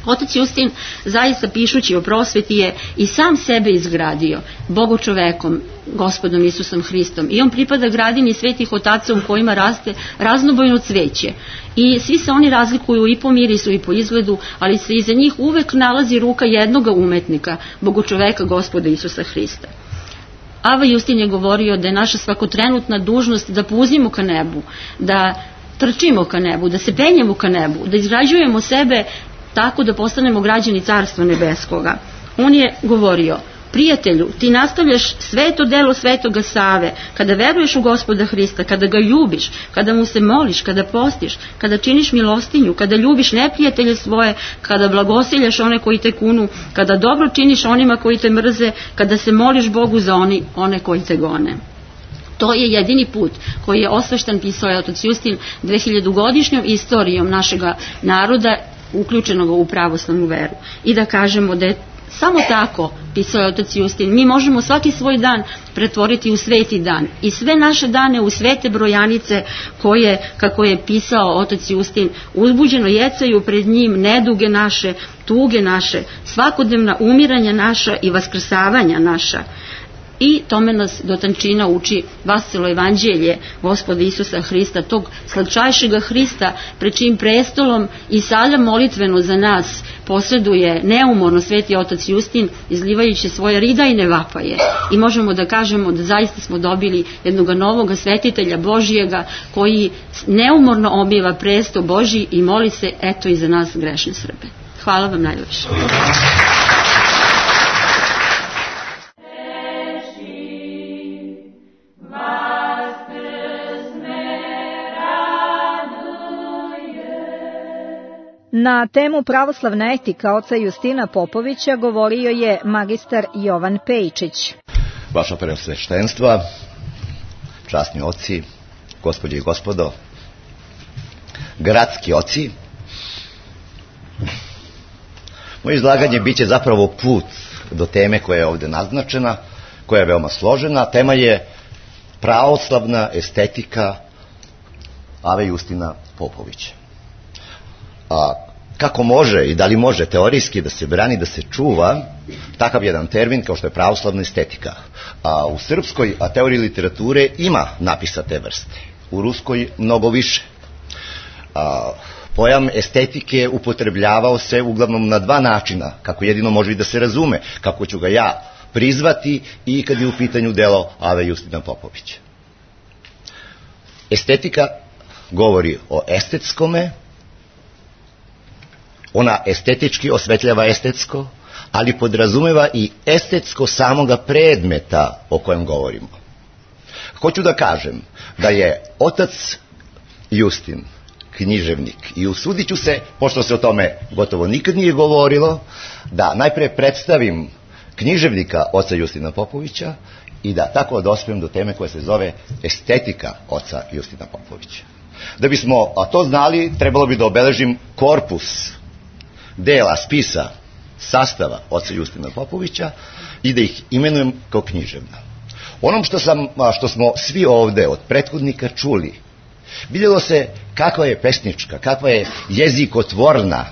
Otac Justin, zaista pišući o prosveti, je i sam sebe izgradio bogočovekom, Gospodom Isusom Hristom, i on pripada gradini svetih otaca u kojima raste raznobojno cveće i svi se oni razlikuju i po mirisu i po izgledu, ali se iza njih uvek nalazi ruka jednoga umetnika, bogočoveka Gospoda Isusa Hrista. Ava Justin je govorio da je naša svakotrenutna dužnost da puzimo ka nebu, da trčimo ka nebu, da se penjemo ka nebu, da izgrađujemo sebe tako da postanemo građani Carstva Nebeskoga. On je govorio: prijatelju, ti nastavljaš sveto delo svetoga Save, kada veruješ u Gospoda Hrista, kada ga ljubiš, kada mu se moliš, kada postiš, kada činiš milostinju, kada ljubiš neprijatelje svoje, kada blagosiljaš one koji te kunu, kada dobro činiš onima koji te mrze, kada se moliš Bogu za one koji te gone. To je jedini put koji je osveštan, pisao je otac Justin, 2000-godišnjom istorijom našega naroda, uključenog u pravoslavnu veru. I da kažemo da je samo tako, pisao je otac Justin, mi možemo svaki svoj dan pretvoriti u sveti dan i sve naše dane u svete brojanice koje, kako je pisao otac Justin, uzbuđeno jecaju pred njim neduge naše, tuge naše, svakodnevna umiranja naša i vaskrsavanja naša. I tome nas do tančina uči Vasilo evanđelje Gospoda Isusa Hrista, tog slatčajšega Hrista, pred čijim prestolom i sada molitveno za nas posreduje neumorno sveti otac Justin, izlivajući svoje ridajne vapaje. I možemo da kažemo da zaista smo dobili jednog novog svetitelja Božijega koji neumorno obiva presto Božji i moli se eto i za nas grešne Srbe. Hvala vam najlepše. Na temu pravoslavna etika oca Justina Popovića govorio je magistar Jovan Pejčić. Vaša preosveštenstva, časni oci, gospođe i gospodo, gradski oci, moje izlaganje biće zapravo put do teme koja je ovde naznačena, koja je veoma složena. Tema je pravoslavna estetika Ave Justina Popovića. Kako može i da li može teorijski da se brani, da se čuva takav jedan termin kao što je pravoslavna estetika? U srpskoj teoriji literature ima napisa te vrste, u ruskoj mnogo više. Pojam estetike upotrebljavao se uglavnom na dva načina, kako jedino može i da se razume, kako ću ga ja prizvati i kad je u pitanju delo Ave Justina Popovića. Estetika govori o estetskome, ona estetički osvetljava estetsko, ali podrazumeva i estetsko samoga predmeta o kojem govorimo. Hoću da kažem da je otac Justin književnik i usudit ću se, pošto se o tome gotovo nikad nije govorilo, da najpre predstavim književnika oca Justina Popovića i da tako dospem do teme koja se zove estetika oca Justina Popovića. Da bismo to znali, trebalo bi da obeležim korpus dela, spisa, sastava oca Justina Popovića i da ih imenujem kao književna. Onom što smo svi ovde od prethodnika čuli, vidjelo se kakva je pesnička, kakva je jezikotvorna,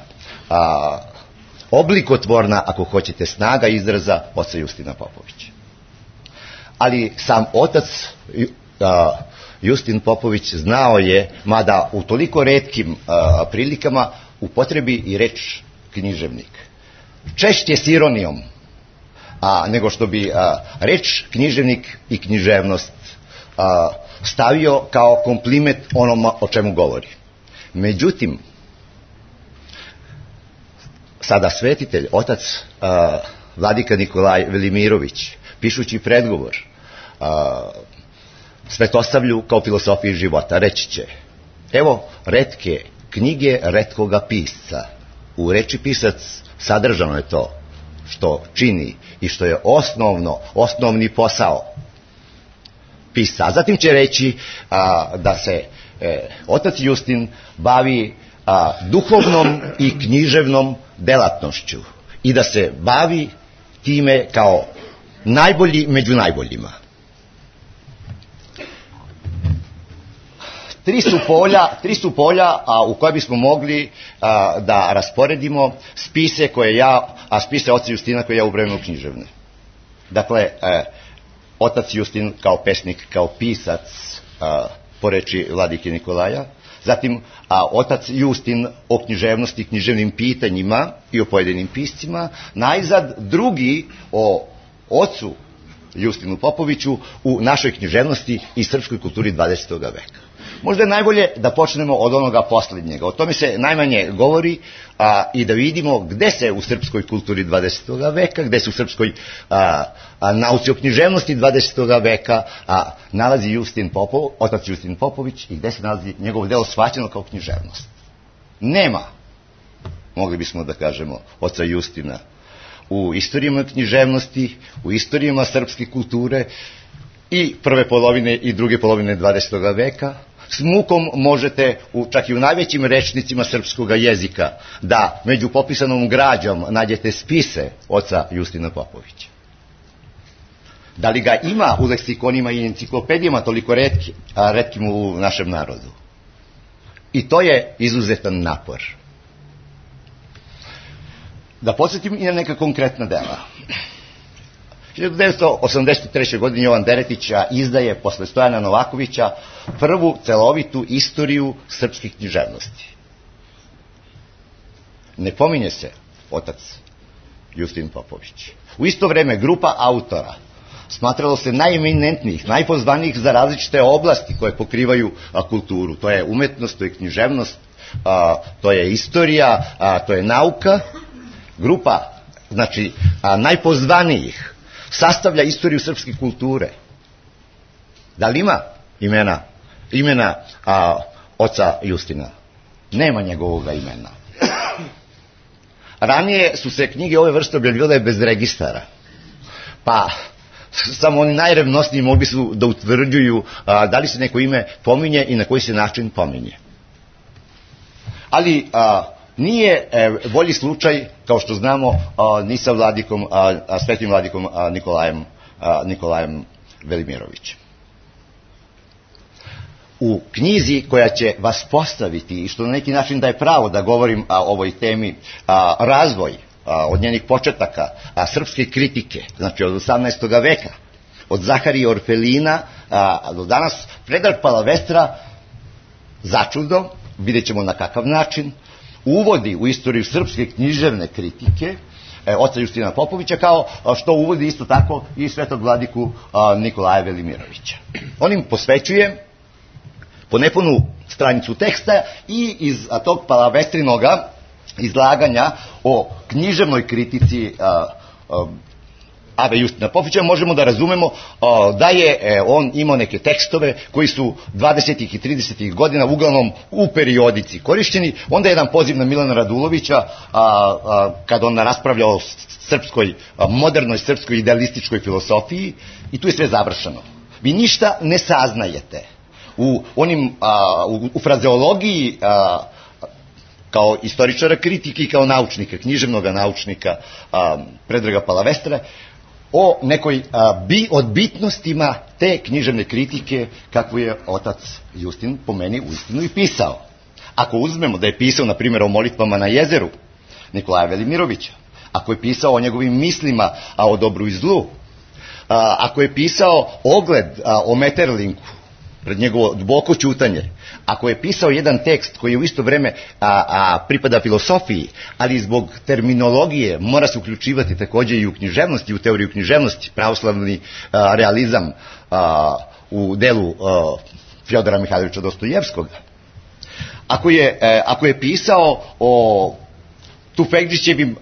oblikotvorna, ako hoćete, snaga izraza oca Justina Popovića. Ali sam otac Justin Popović znao je, mada u toliko retkim prilikama, upotrebi i reč književnik. Češće s ironijom, nego što bi reč književnik i književnost stavio kao kompliment onoma o čemu govori. Međutim, sada svetitelj, otac vladika Nikolaj Velimirović, pišući predgovor Svetosavlju kao filosofiji života, reći će: evo retke knjige retkoga pisca. U reči pisac sadržano je to što čini i što je osnovni posao pisca. Zatim će reći da se otac Justin bavi duhovnom i književnom delatnošću i da se bavi time kao najbolji među najboljima. Tri su polja u koja bismo mogli da rasporedimo spise oca Justina koje ja ubrajam u književne. Dakle, otac Justin kao pesnik, kao pisac, po reči vladike Nikolaja, zatim otac Justin o književnosti, književnim pitanjima i o pojedinim piscima, najzad drugi o ocu Justinu Popoviću u našoj književnosti i srpskoj kulturi 20. veka. Možda je najbolje da počnemo od onoga posljednjega. O tome se najmanje govori i da vidimo gde se u srpskoj kulturi 20. veka, gde se u srpskoj nauci o književnosti 20. veka nalazi otac Justin Popović i gde se nalazi njegovo delo shvaćeno kao književnost. Nema, mogli bismo da kažemo, oca Justina u istorijama književnosti, u istorijama srpske kulture i prve polovine i druge polovine 20. veka. S mukom možete, čak i u najvećim rečnicima srpskog jezika, da među popisanom građom nađete spise oca Justina Popovića. Da li ga ima u leksikonima i enciklopedijama toliko retkim u našem narodu? I to je izuzetan napor. Da podsjetim i na neka konkretna dela. 1983. godine Jovan Deretić izdaje posle Stojana Novakovića prvu celovitu istoriju srpskih književnosti. Ne pominje se otac Justin Popović. U isto vreme grupa autora smatralo se najeminentnijih, najpozvanijih za različite oblasti koje pokrivaju kulturu. To je umetnost, to je književnost, to je istorija, to je nauka. Grupa, znači, najpozvanijih sastavlja istoriju srpske kulture. Da li ima imena oca Justina? Nema njegovog imena. Ranije su se knjige ove vrste objavljivale bez registara, pa samo oni najrevnosniji mogli su da utvrđuju da li se neko ime pominje i na koji se način pominje. Ali nije bolji slučaj, kao što znamo, ni sa vladikom, svetim vladikom Nikolajem Velimirovićem. U knjizi koja će vas postaviti i što na neki način daje pravo da govorim o ovoj temi, razvoj od njenih početaka srpske kritike, znači od 18. veka, od Zaharije Orfelina do danas, Predrag Palavestra, začudo, vidjet ćemo na kakav način, uvodi u istoriju srpske književne kritike oca Justina Popovića, kao što uvodi isto tako i svetog vladiku Nikolaja Velimirovića. On im posvećuje po nepunu stranicu teksta i iz tog Palavestrinoga izlaganja o književnoj kritici Ave Justina Popovića možemo da razumemo da je on imao neke tekstove koji su 20. i 30. godina uglavnom u periodici korišćeni. Onda je jedan poziv na Milana Radulovića kad on raspravlja o srpskoj, modernoj srpskoj idealističkoj filosofiji i tu je sve završeno. Vi ništa ne saznajete u frazeologiji kao istoričara kritike i kao naučnika, književnog naučnika Predraga Palavestre, o nekoj od bitnostima te književne kritike kakvu je otac Justin po meni uistinu i pisao. Ako uzmemo da je pisao, na primjer, o molitvama na jezeru Nikolaja Velimirovića, ako je pisao o njegovim mislima o dobru i zlu, ako je pisao ogled o Metterlinku pred njegovo duboko ćutanje, ako je pisao jedan tekst koji u isto vreme pripada filosofiji, ali zbog terminologije mora se uključivati takođe i u književnosti, u teoriju književnosti, pravoslavni realizam u delu Fjodora Mihajlovića Dostojevskog, ako je pisao o Tufekđićevim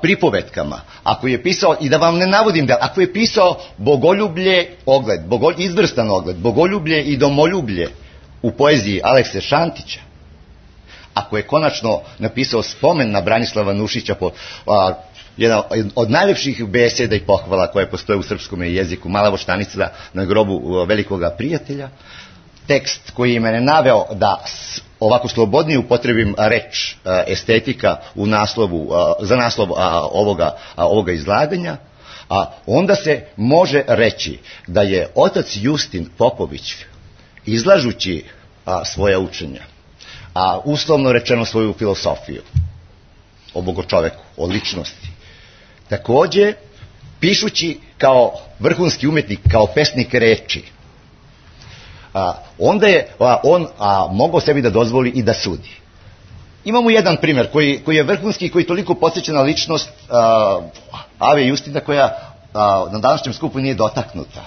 pripovetkama, ako je pisao, i da vam ne navodim da, ako je pisao Bogoljublje ogled, izvrstan ogled, Bogoljublje i domoljublje u poeziji Alekse Šantića, ako je konačno napisao spomen na Branislava Nušića jedna od najlepših beseda i pohvala koje postoje u srpskom jeziku, Mala voštanica na grobu velikoga prijatelja, tekst koji je mene naveo da ovako slobodnije upotrebim reč estetika u naslovu, za naslov ovoga izlaganja, onda se može reći da je otac Justin Popović, izlažući svoja učenja, uslovno rečeno svoju filosofiju o bogočoveku, o ličnosti, takođe pišući kao vrhunski umetnik, kao pesnik reči, onda je on mogao sebi da dozvoli i da sudi. Imamo jedan primjer koji je vrhunski i koji toliko podsjeća na ličnost Ave Justina koja na današnjem skupu nije dotaknuta.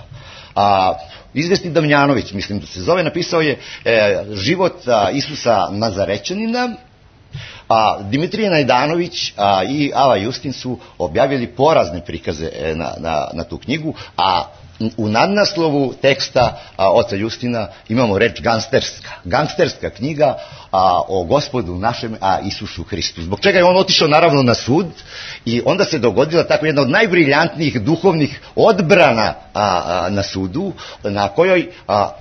Izvesni Damjanović, mislim da se zove, napisao je život Isusa Nazarećanina, Dimitrije Najdanović i Ava Justin su objavili porazne prikaze na tu knjigu, a u nadnaslovu teksta oca Justina imamo reč gangsterska knjiga o Gospodu našem Isusu Hristu. Zbog čega je on otišao naravno na sud i onda se dogodila tako jedna od najbriljantnijih duhovnih odbrana na sudu, na kojoj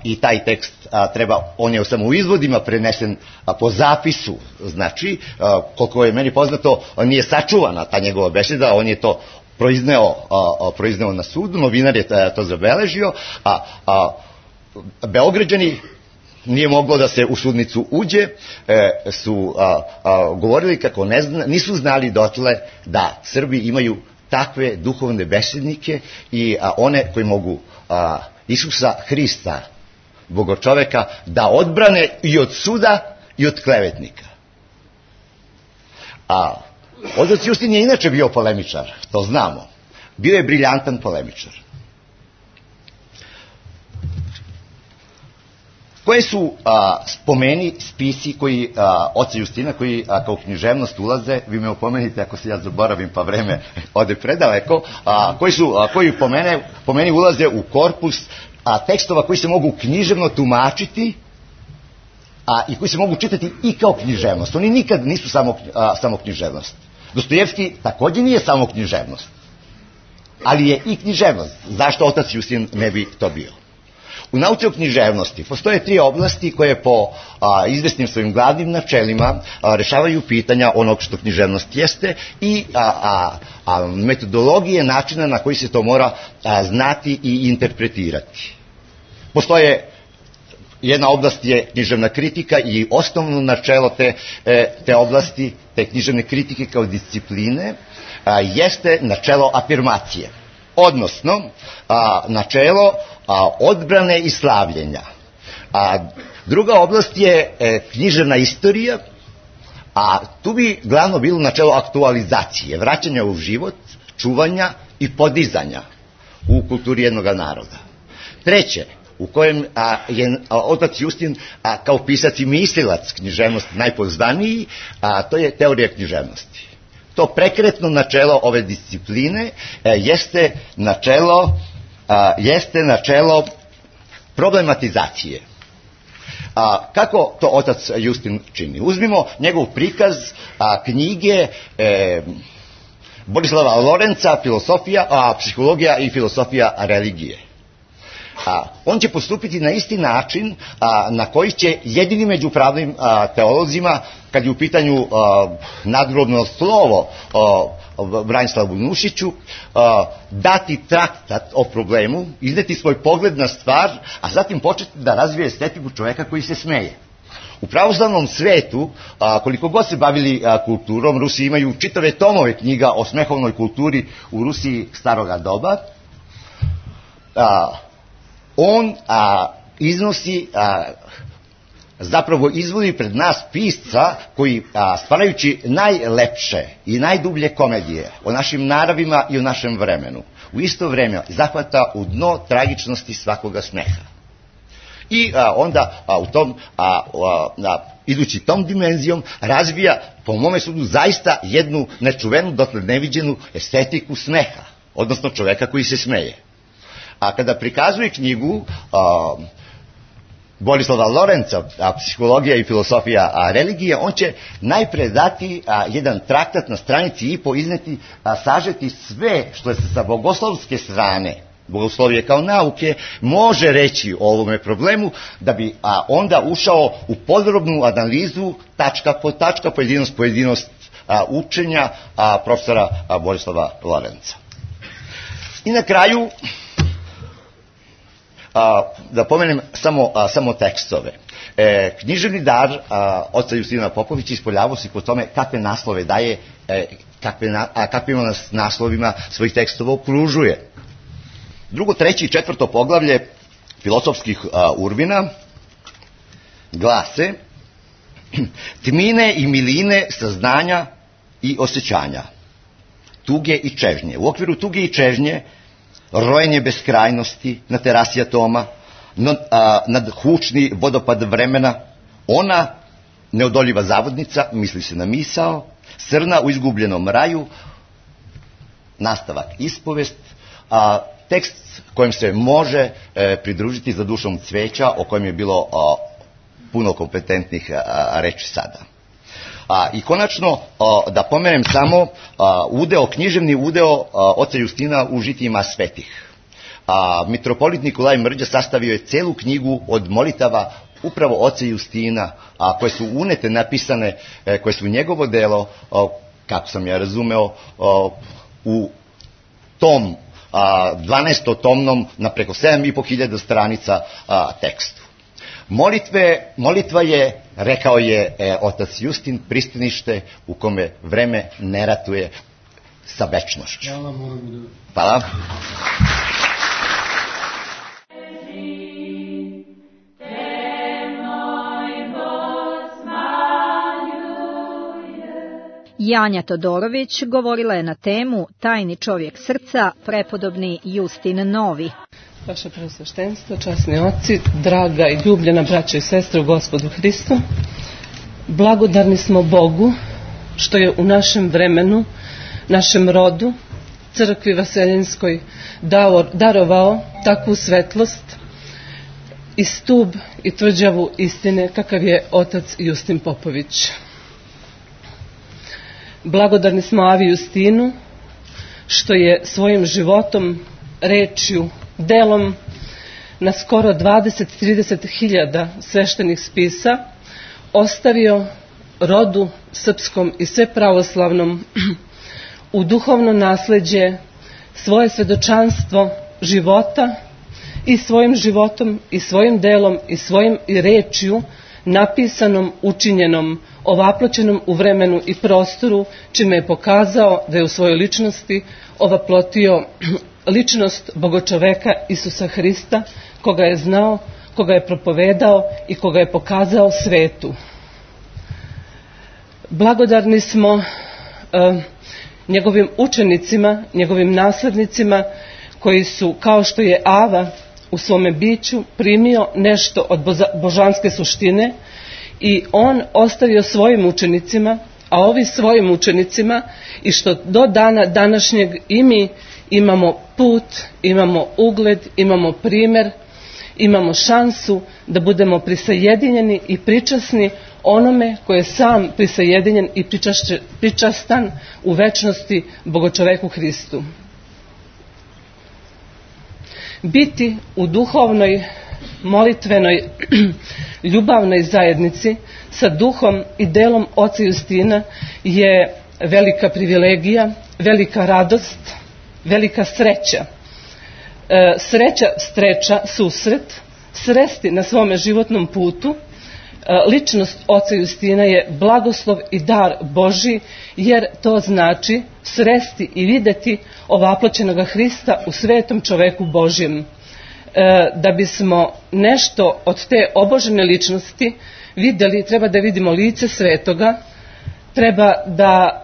i taj tekst treba, on je samo u izvodima prenesen po zapisu, znači koliko je meni poznato nije sačuvana ta njegova beseda, on je to proizneo na sudu, novinar je to zabeležio, Beograđani, nije moglo da se u sudnicu uđe, su govorili kako nisu znali dotle da Srbi imaju takve duhovne besednike i one koji mogu Isusa Hrista, bogočoveka, da odbrane i od suda i od klevetnika. Otac Justin je inače bio polemičar, to znamo. Bio je briljantan polemičar. Koje su spomeni, spisi koji oca Justina, koji kao književnost ulaze, vi me opomenite ako se ja zaboravim pa vreme ode predaleko, koji po meni ulaze u korpus tekstova koji se mogu književno tumačiti i koji se mogu čitati i kao književnost. Oni nikad nisu samo književnost. Dostojevski također nije samo književnost, ali je i književnost. Zašto otac Justin ne bi to bio? U nauci o književnosti postoje 3 oblasti koje po izvesnim svojim glavnim načelima rešavaju pitanja onog što književnost jeste i metodologije načina na koji se to mora znati i interpretirati. Postoje, jedna oblast je književna kritika i osnovno načelo te oblasti, te književne kritike kao discipline, jeste načelo afirmacije, odnosno načelo odbrane i slavljenja. Druga oblast je književna istorija, a tu bi glavno bilo načelo aktualizacije, vraćanja u život, čuvanja i podizanja u kulturi jednog naroda. Treće, u kojem je otac Justin kao pisac i mislilac književnosti najpoznaniji, to je teorija književnosti. To prekretno načelo ove discipline jeste načelo problematizacije. Kako to otac Justin čini? Uzmimo njegov prikaz knjige Borislava Lorenca, psihologija i filosofija religije. On će postupiti na isti način na koji će jedini među pravnim teolozima, kad je u pitanju nadgrobno slovo Branislavu Nušiću, dati traktat o problemu, izneti svoj pogled na stvar, a zatim početi da razvije estetiku čoveka koji se smeje. U pravoslavnom svetu, koliko god se bavili kulturom, Rusi imaju čitave tomove knjiga o smehovnoj kulturi u Rusiji staroga doba. On iznosi, zapravo izvodi pred nas pisca koji, stvarajući najlepše i najdublje komedije o našim naravima i o našem vremenu, u isto vreme zahvata u dno tragičnosti svakoga smeha. I onda u tom, idući tom dimenzijom, razvija, po mome sudu, zaista jednu nečuvenu, dotled neviđenu estetiku smeha, odnosno čoveka koji se smeje. A kada prikazuje knjigu Borislava Lorenca, psihologija i filosofija religije, on će najpre dati jedan traktat na stranici i izneti, sažeti sve što se sa bogoslovske strane, bogoslovije kao nauke, može reći o ovome problemu, da bi onda ušao u podrobnu analizu, tačka po tačka, pojedinost učenja profesora Borislava Lorenca. I na kraju, da pomenem samo tekstove. Književni dar oca Justina Popovića ispoljavao se po tome kakve naslove daje, kakvim nas naslovima svojih tekstova okružuje. 2., 3. i 4. poglavlje filosofskih urbina glase: tmine i miline saznanja i osjećanja, tuge i čežnje. U okviru tuge i čežnje rojenje beskrajnosti na terasi atoma, nadhučni vodopad vremena, ona neodoljiva zavodnica, misli se na misao, srna u izgubljenom raju, nastavak ispovest, tekst kojem se može pridružiti za dušom cveća, o kojem je bilo puno kompetentnih reči sada. I konačno, da pomenem samo književni udeo oca Justina u žitijima svetih. Mitropolit Nikolaj Mrđa sastavio je celu knjigu od molitava upravo oca Justina, koje su unete, napisane, koje su njegovo delo, kako sam ja razumeo, u tom 12-tomnom na preko 7.500 stranica tekstu. Molitva je, rekao je otac Justin, pristanište u kome vreme ne ratuje sa večnošću. Hvala. Janja Todorović govorila je na temu Tajni čovjek srca, prepodobni Justin Novi. Vaše preosveštenstvo, časni oci, draga i ljubljena braćo i sestre u Gospodu Hristu, blagodarni smo Bogu što je u našem vremenu, našem rodu, crkvi Vaseljenskoj darovao takvu svetlost i stub i tvrđavu istine kakav je otac Justin Popović. Blagodarni smo Avi Justinu što je svojim životom, rečju, delom na skoro 20-30 hiljada sveštenih spisa ostavio rodu srpskom i sve pravoslavnom u duhovno nasleđe svoje svedočanstvo života i svojim životom i svojim delom i svojim rečju napisanom, učinjenom, ovaploćenom u vremenu i prostoru, čime je pokazao da je u svojoj ličnosti ovaplotio ličnost Bogočoveka Isusa Hrista, koga je znao, koga je propovedao i koga je pokazao svetu. Blagodarni smo njegovim učenicima, njegovim naslednicima koji su, kao što je Ava u svome biću primio nešto od božanske suštine i on ostavio svojim učenicima, a ovi svojim učenicima, i što do dana današnjeg i mi imamo put, imamo ugled, imamo primer, imamo šansu da budemo prisajedinjeni i pričasni onome koji je sam prisajedinjen i pričastan u večnosti Bogočoveku Hristu. Biti u duhovnoj, molitvenoj, ljubavnoj zajednici sa duhom i delom oca Justina je velika privilegija, velika radost, velika sreća. Sreća streča susret, sresti na svome životnom putu. Ličnost oca Justina je blagoslov i dar Božji, jer to znači sresti i videti ovaploćenog Hrista u svetom čoveku Božjem. Da bismo nešto od te obožene ličnosti vidjeli, treba da vidimo lice svetoga, treba da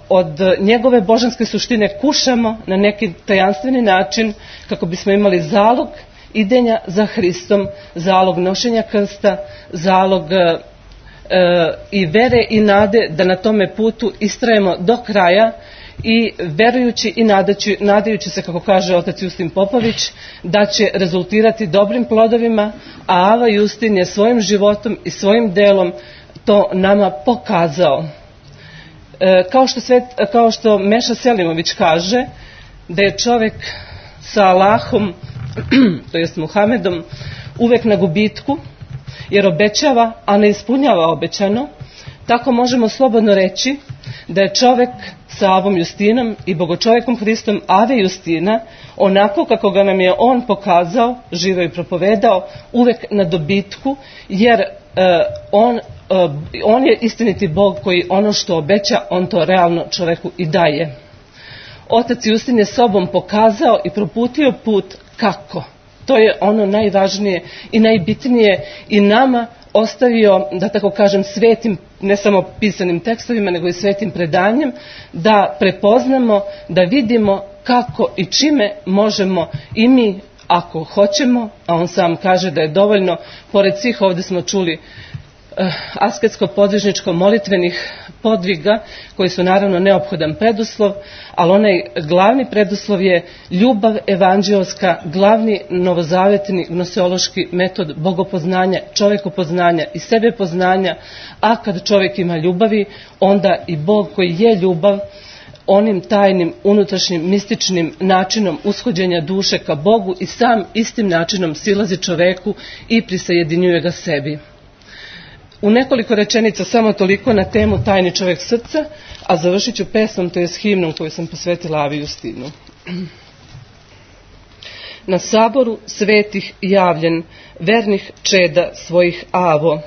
od njegove božanske suštine kušamo na neki tajanstveni način kako bismo imali zalog idenja za Hristom, zalog nošenja krsta, zalog i vere i nade da na tome putu istrajemo do kraja i verujući i nadajući se, kako kaže otac Justin Popović, da će rezultirati dobrim plodovima, a Ava Justin je svojim životom i svojim delom to nama pokazao. Kao što Meša Selimović kaže, da je čovjek sa Allahom, to jest Muhamedom, uvek na gubitku, jer obećava, a ne ispunjava obećano, tako možemo slobodno reći da je čovjek sa Avom Justinom i Bogočovekom Hristom Ave Justina, onako kako ga nam je on pokazao, živo i propovedao, uvek na dobitku, jer on je istiniti Bog koji ono što obeća, on to realno čoveku i daje. Otac Justin je sobom pokazao i proputio put kako. To je ono najvažnije i najbitnije i nama ostavio, da tako kažem, svetim, ne samo pisanim tekstovima, nego i svetim predanjem, da prepoznamo, da vidimo kako i čime možemo i mi, ako hoćemo, a on sam kaže da je dovoljno, pored svih ovdje smo čuli asketsko-podvižničko molitvenih podviga koji su naravno neophodan preduslov, ali onaj glavni preduslov je ljubav evanđelska, glavni novozavetni gnoseološki metod bogopoznanja, čovekopoznanja i sebepoznanja, a kad čovjek ima ljubavi, onda i Bog koji je ljubav, onim tajnim, unutrašnjim, mističnim načinom ushođenja duše ka Bogu i sam istim načinom silazi čoveku i prisajedinjuje ga sebi. U nekoliko rečenica samo toliko na temu tajni čovjek srca, a završit ću pesmom, to je himnom koju sam posvetila Avi Justinu. Na saboru svetih javljen, vernih čeda svojih Avo,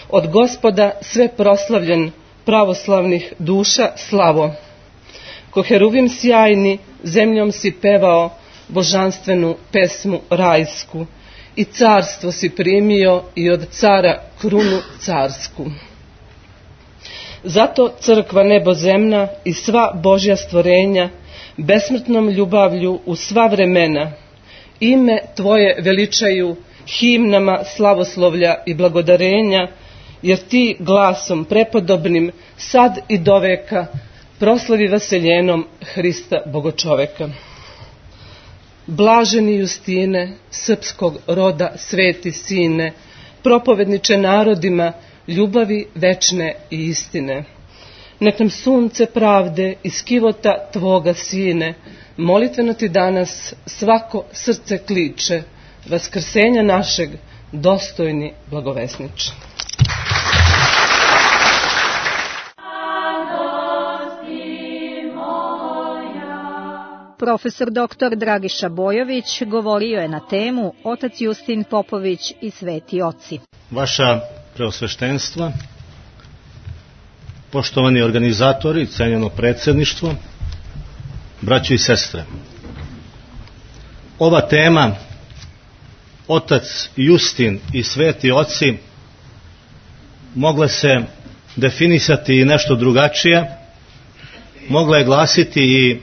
od Gospoda sve proslavljen, pravoslavnih duša slavo. Ko heruvim sjajni, zemljom si pevao božanstvenu pesmu rajsku, i carstvo si primio i od cara krunu carsku. Zato crkva nebozemna i sva Božja stvorenja besmrtnom ljubavlju u sva vremena ime tvoje veličaju himnama slavoslovlja i blagodarenja, jer ti glasom prepodobnim sad i doveka proslavi vaseljenom Hrista Bogočoveka. Blaženi Justine, srpskog roda sveti sine, propovedniče narodima ljubavi večne i istine. nek nam sunce pravde iz kivota Tvoga Sine, molitveno Ti danas svako srce kliče, vaskrsenja našeg dostojni blagovesniče. Profesor dr. Dragiša Bojović govorio je na temu Otac Justin Popović i Sveti oci. Vaša preosveštenstva, poštovani organizatori, cenjeno predsjedništvo, braćo i sestre. Ova tema, Otac Justin i Sveti oci, mogla se definisati i nešto drugačije, mogla je glasiti i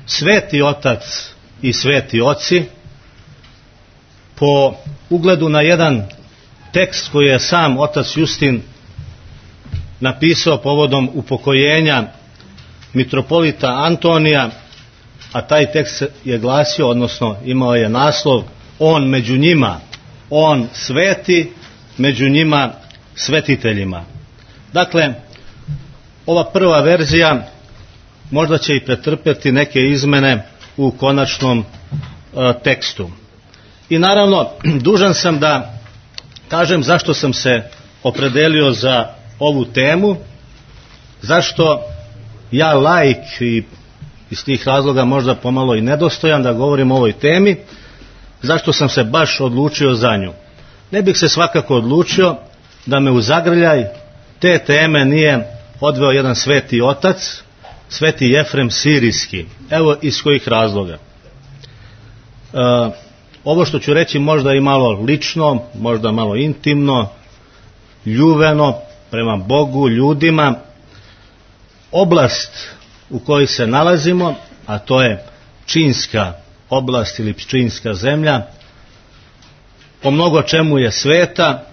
Sveti otac i sveti oci, po ugledu na jedan tekst koji je sam otac Justin napisao povodom upokojenja mitropolita Antonija, a taj tekst je glasio, odnosno imao je naslov On među njima, on sveti, među njima svetiteljima. Dakle, ova prva verzija možda će i pretrpjeti neke izmene u konačnom tekstu. I naravno, dužan sam da kažem zašto sam se opredelio za ovu temu, zašto ja laik i iz tih razloga možda pomalo i nedostojan da govorim o ovoj temi, zašto sam se baš odlučio za nju. Ne bih se svakako odlučio da me u zagrljaj te teme nije odveo jedan sveti otac, Sveti Jefrem Sirijski. Evo iz kojih razloga. Ovo što ću reći možda i malo lično, možda malo intimno, ljubeno prema Bogu, ljudima. Oblast u kojoj se nalazimo, a to je Pčinjska oblast ili Pčinjska zemlja, po mnogo čemu je sveta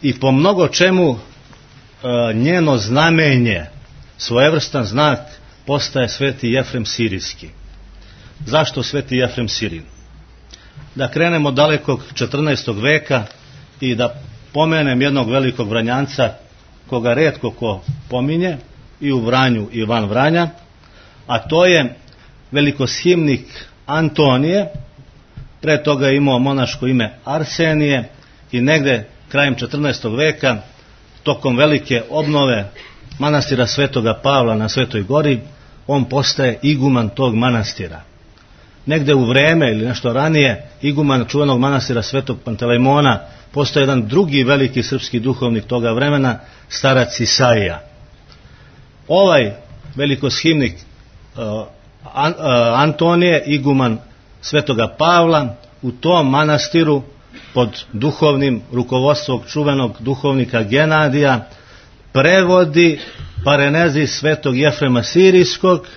i po mnogo čemu njeno znamenje, svojevrstan znak, postaje Sveti Jefrem Sirijski. Zašto Sveti Jefrem Sirin? Da krenemo dalekog 14. veka i da pomenem jednog velikog Vranjanca koga retko ko pominje i u Vranju i van Vranja, a to je velikoshimnik Antonije, pre toga je imao monaško ime Arsenije i negde krajem 14. veka tokom velike obnove manastira Svetoga Pavla na Svetoj Gori, on postaje iguman tog manastira. Negde u vreme ili nešto ranije, iguman čuvenog manastira Svetog Pantelejmona postaje jedan drugi veliki srpski duhovnik toga vremena, starac Isaija. Ovaj velikoshimnik Antonije, iguman Svetoga Pavla, u tom manastiru pod duhovnim rukovodstvom čuvenog duhovnika Genadija prevodi parenezi Svetog Jefrema Sirijskog,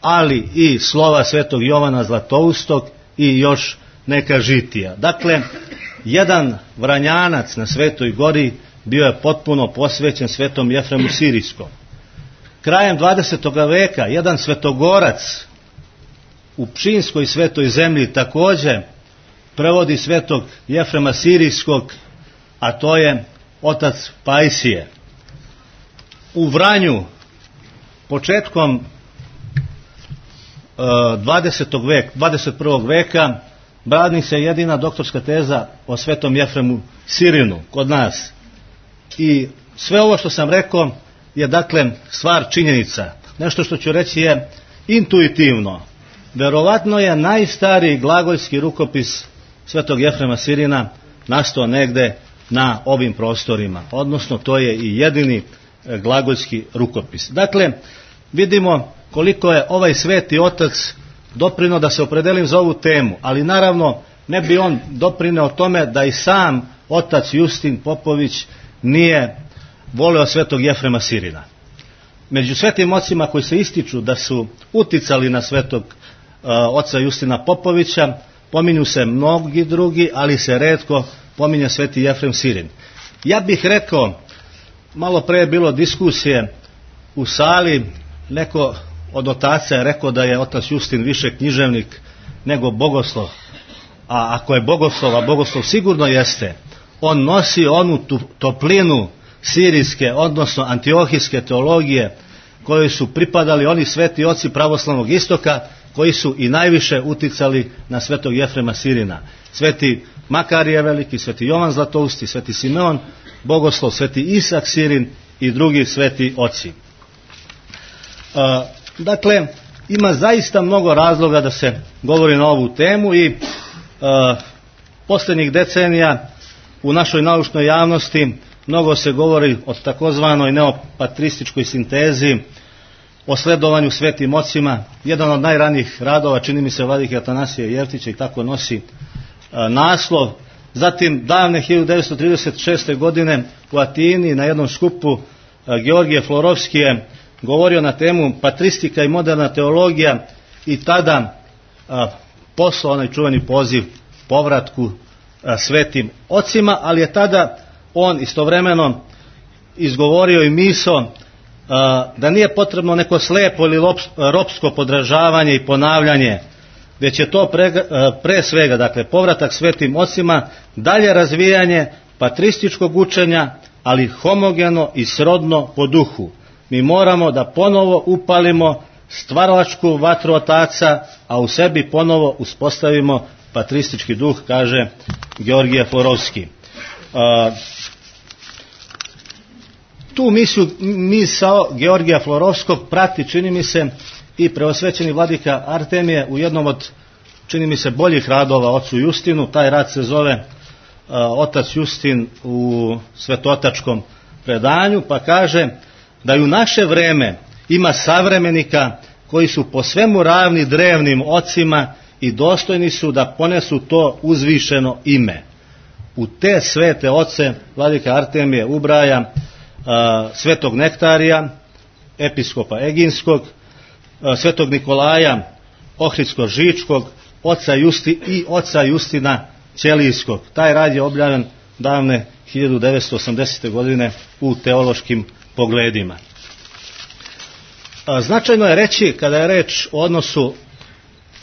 ali i slova Svetog Jovana Zlatoustog i još neka žitija. Dakle, jedan Vranjanac na Svetoj Gori bio je potpuno posvećen Svetom Jefremu Sirijskom. Krajem 20. veka jedan svetogorac u Pčinjskoj svetoj zemlji također prevodi Svetog Jefrema Sirijskog, a to je otac Pajsije. U Vranju početkom 21. veka brani se jedina doktorska teza o Svetom Jefremu Sirinu kod nas. I sve ovo što sam rekao je dakle stvar činjenica. Nešto što ću reći je intuitivno. Verovatno je najstariji glagoljski rukopis Svetog Jefrema Sirina nastao negde na ovim prostorima. Odnosno to je i jedini glagoljski rukopis. Dakle, vidimo koliko je ovaj sveti otac doprineo da se opredelim za ovu temu, ali naravno ne bi on doprineo tome da i sam otac Justin Popović nije voleo Svetog Jefrema Sirina. Među svetim ocima koji se ističu da su uticali na Svetog oca Justina Popovića pominju se mnogi drugi, ali se retko pominje Sveti Jefrem Sirin. Ja bih rekao, malo pre je bilo diskusije u sali, neko od otaca je rekao da je otac Justin više književnik nego bogoslov. A ako je bogoslov, a bogoslov sigurno jeste, on nosi onu toplinu sirijske, odnosno antiohijske teologije, koji su pripadali oni sveti oci pravoslavnog istoka, koji su i najviše uticali na svetog Jefrema Sirina. Sveti Makarije Veliki, sveti Jovan Zlatousti, sveti Simeon Bogoslov, sveti Isak Sirin i drugi sveti oci. Dakle, ima zaista mnogo razloga da se govori na ovu temu i posljednjih decenija u našoj naučnoj javnosti mnogo se govori o takozvanoj neopatrističkoj sintezi, o sledovanju svetim ocima. Jedan od najranijih radova, čini mi se, vladike Atanasija Jevtića, i tako nosi naslov. Zatim davne 1936. godine u Atini na jednom skupu Georgije Florovski je govorio na temu patristika i moderna teologija i tada poslao onaj čuveni poziv povratku svetim ocima, ali je tada on istovremeno izgovorio i misao da nije potrebno neko slepo ili ropsko podražavanje i ponavljanje, već je to pre svega, dakle, povratak svetim ocima, dalje razvijanje patrističkog učenja, ali homogeno i srodno po duhu. Mi moramo da ponovo upalimo stvaralačku vatru otaca, a u sebi ponovo uspostavimo patristički duh, kaže Georgije Florovski. Tu misao Georgija Florovskog prati, čini mi se, i preosvećeni vladika Artemije u jednom od, čini mi se, boljih radova ocu Justinu. Taj rad se zove Otac Justin u svetotačkom predanju, pa kaže da i u naše vreme ima savremenika koji su po svemu ravni drevnim ocima i dostojni su da ponesu to uzvišeno ime. U te svete oce vladika Artemije ubraja svetog Nektarija, episkopa Eginskog, svetog Nikolaja Ohridsko-Žičkog, oca Justina Ćelijskog. Taj rad je objavljen davne 1980. godine u teološkim pogledima. Značajno je reći, kada je reč o odnosu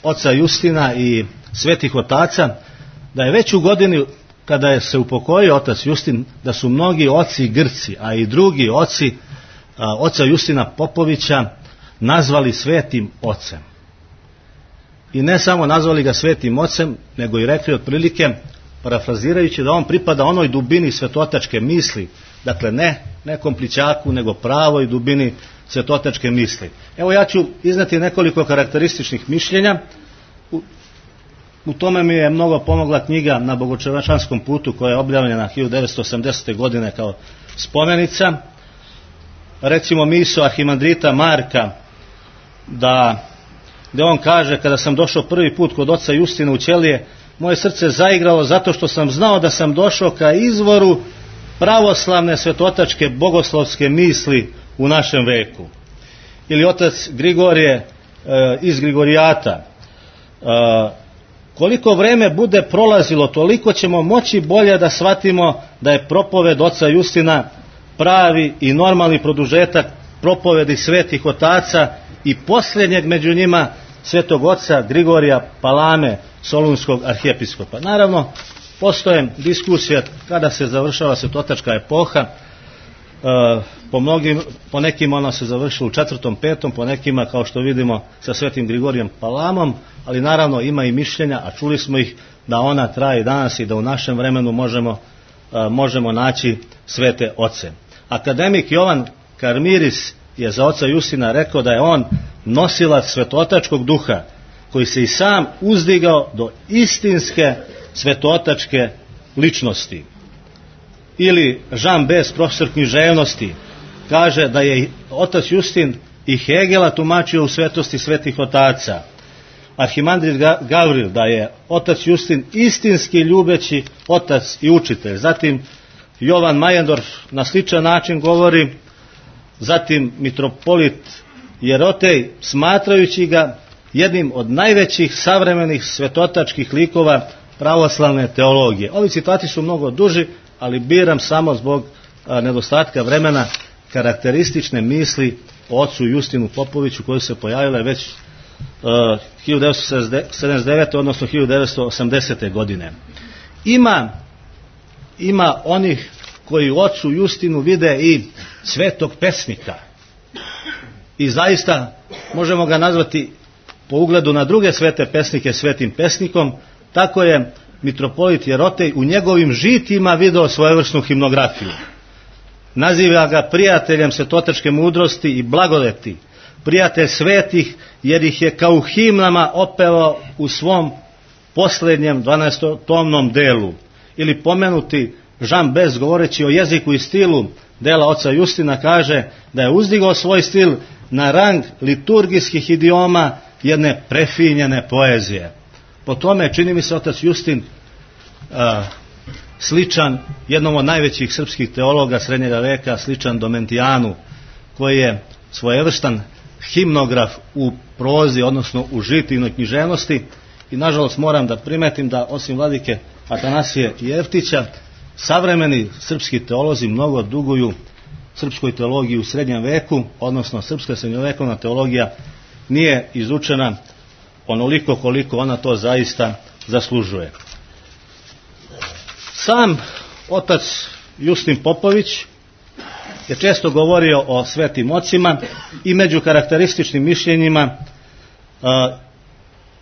oca Justina i svetih otaca, da je već u godini kada je se upokojio otac Justin, da su mnogi oci Grci, a i drugi oci oca Justina Popovića nazvali svetim ocem. I ne samo nazvali ga svetim ocem, nego i rekli otprilike, parafrazirajući, da on pripada onoj dubini svetotačke misli, dakle ne komplićaku, nego pravoj dubini svetotačke misli. Evo, ja ću izneti nekoliko karakterističnih mišljenja. U tome mi je mnogo pomogla knjiga Na bogočevačanskom putu, koja je objavljena 1980. godine kao spomenica. Recimo misao arhimandrita Marka, gde on kaže: kada sam došao prvi put kod oca Justina u Ćelije, moje srce zaigralo zato što sam znao da sam došao ka izvoru pravoslavne svetotačke bogoslovske misli u našem veku. Ili otac Grigorije iz Grigorijata: koliko vreme bude prolazilo, toliko ćemo moći bolje da shvatimo da je propoved oca Justina pravi i normalni produžetak propovedi svetih otaca i posljednjeg među njima svetog oca Grigorija Palame, solunskog arhijepiskopa. Naravno, postoje diskusije kada se završava svetotačka epoha. Po nekima ona se završila u 4., 5., po nekima, kao što vidimo, sa svetim Grigorijem Palamom, ali naravno ima i mišljenja, a čuli smo ih, da ona traje danas i da u našem vremenu možemo naći svete oce. Akademik Jovan Karmiris je za oca Justina rekao da je on nosilac svetotačkog duha, koji se i sam uzdigao do istinske svetotačke ličnosti. Ili Jean Bes, profesor književnosti, kaže da je otac Justin i Hegela tumačio u svetosti svetih otaca. Arhimandrit Gavril, da je otac Justin istinski ljubeći otac i učitelj. Zatim Jovan Majendorf na sličan način govori. Zatim mitropolit Jerotej, smatrajući ga jednim od najvećih savremenih svetotačkih likova pravoslavne teologije. Ovi citati su mnogo duži, ali biram samo zbog nedostatka vremena karakteristične misli o ocu Justinu Popoviću, koje se pojavile već 1979. odnosno 1980. godine. Ima onih koji u ocu Justinu vide i svetog pesnika. I zaista možemo ga nazvati po ugledu na druge svete pesnike svetim pesnikom. Tako je mitropolit Jerotej u njegovim žitima video svojevrsnu himnografiju. Naziva ga prijateljem svetotačke mudrosti i blagodeti, prijatelj svetih, jer ih je kao u himnama opevao u svom posljednjem 12-tomnom delu. Ili pomenuti Jean Bes, govoreći o jeziku i stilu dela oca Justina, kaže da je uzdigao svoj stil na rang liturgijskih idioma jedne prefinjene poezije. Po tome čini mi se otac Justin sličan jednom od najvećih srpskih teologa srednjega veka, sličan Domentijanu, koji je svojevrstan himnograf u prozi, odnosno u žitijnoj književnosti. I nažalost moram da primetim da osim vladike Atanasije Jeftića, savremeni srpski teolozi mnogo duguju srpskoj teologiji u srednjem veku, odnosno srpska srednjovekovna teologija nije izučena onoliko koliko ona to zaista zaslužuje. Sam otac Justin Popović je često govorio o svetim ocima i među karakterističnim mišljenjima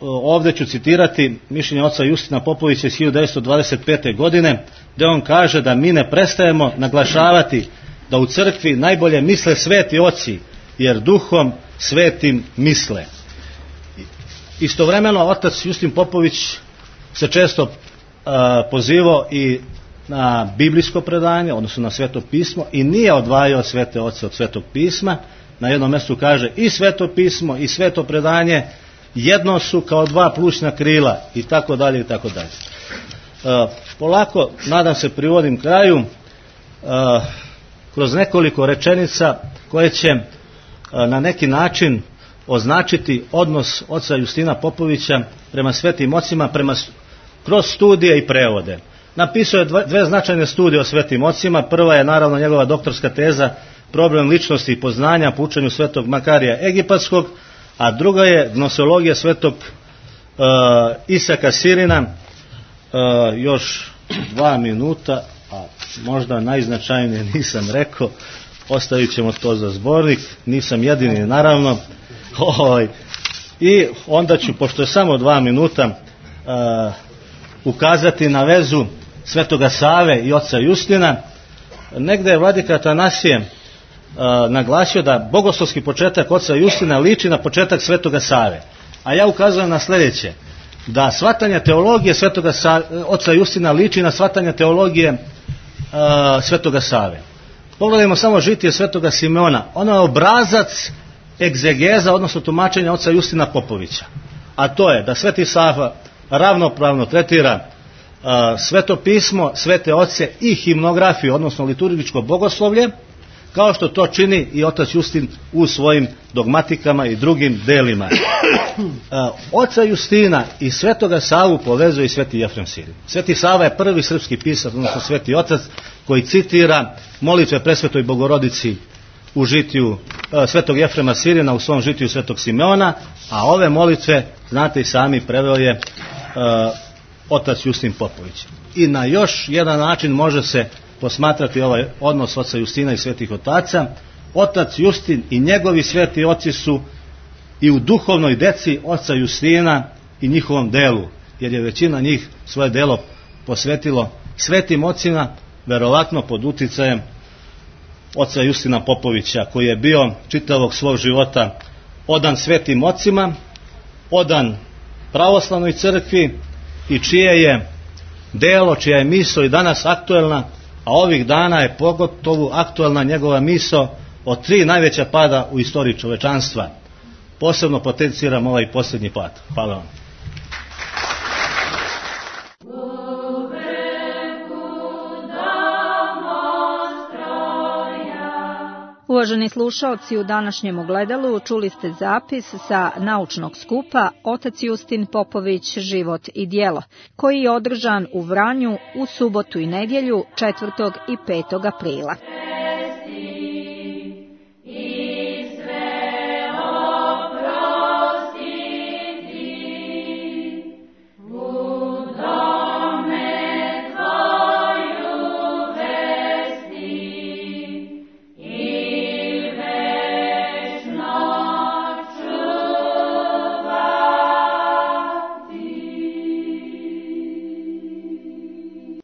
ovdje ću citirati mišljenje oca Justina Popovića iz 1925. godine, gdje on kaže da mi ne prestajemo naglašavati da u crkvi najbolje misle sveti oci, jer duhom svetim misle. Istovremeno otac Justin Popović se često pozivao i na biblijsko predanje, odnosno na sveto pismo, i nije odvajao svete oce od svetog pisma. Na jednom mjestu kaže i sveto pismo i sveto predanje jedno su kao dva plućna krila, i tako dalje i tako dalje. Polako, nadam se, privodim kraju kroz nekoliko rečenica koje će na neki način označiti odnos oca Justina Popovića prema svetim ocima, kroz studije i prevode. Napisao je dve značajne studije o svetim ocima. Prva je naravno njegova doktorska teza Problem ličnosti i poznanja po učenju svetog Makarija Egipatskog, a druga je gnoseologija svetog Isaka Sirina. Još 2 minuta, a možda najznačajnije nisam rekao, ostavit ćemo to za zbornik, nisam jedini naravno. I onda ću, pošto je samo 2 minuta, ukazati na vezu svetoga Save i oca Justina. Negde je vladika Atanasije naglasio da bogoslovski početak oca Justina liči na početak svetoga Save. A ja ukazujem na sljedeće, da shvatanje teologije svetoga oca Justina liči na shvatanje teologije svetoga Save. Pogledajmo samo žitije svetoga Simeona. Ono je obrazac egzegeza, odnosno tumačenja oca Justina Popovića. A to je da sveti Sava ravnopravno tretira sveto pismo, svete oce i himnografiju, odnosno liturgičko bogoslovlje, kao što to čini i otac Justin u svojim dogmatikama i drugim delima. Oca Justina i svetoga Savu povezuje i sveti Jefrem Sirin. Sveti Sava je prvi srpski pisac, odnosno sveti otac, koji citira molitve presvetoj Bogorodici u žitiju svetog Jefrema Sirina, u svom žitiju svetog Simeona, a ove molitve, znate i sami, preveo je otac Justin Popović. I na još jedan način može se posmatrati ovaj odnos oca Justina i svetih otaca. Otac Justin i njegovi sveti oci su i u duhovnoj deci oca Justina i njihovom delu, jer je većina njih svoje delo posvetilo svetim ocima, verovatno pod uticajem oca Justina Popovića, koji je bio čitavog svog života odan svetim ocima, odan pravoslavnoj crkvi, i čije je delo, čija je misao i danas aktuelna, a ovih dana je pogotovo aktuelna njegova misao o 3 najveća pada u istoriji čovečanstva. Posebno potenciram ovaj posljednji pad. Hvala vam. Uvaženi slušaoci, u današnjem ogledalu čuli ste zapis sa naučnog skupa Otac Justin Popović, život i djelo, koji je održan u Vranju u subotu i nedjelju 4. i 5. aprila.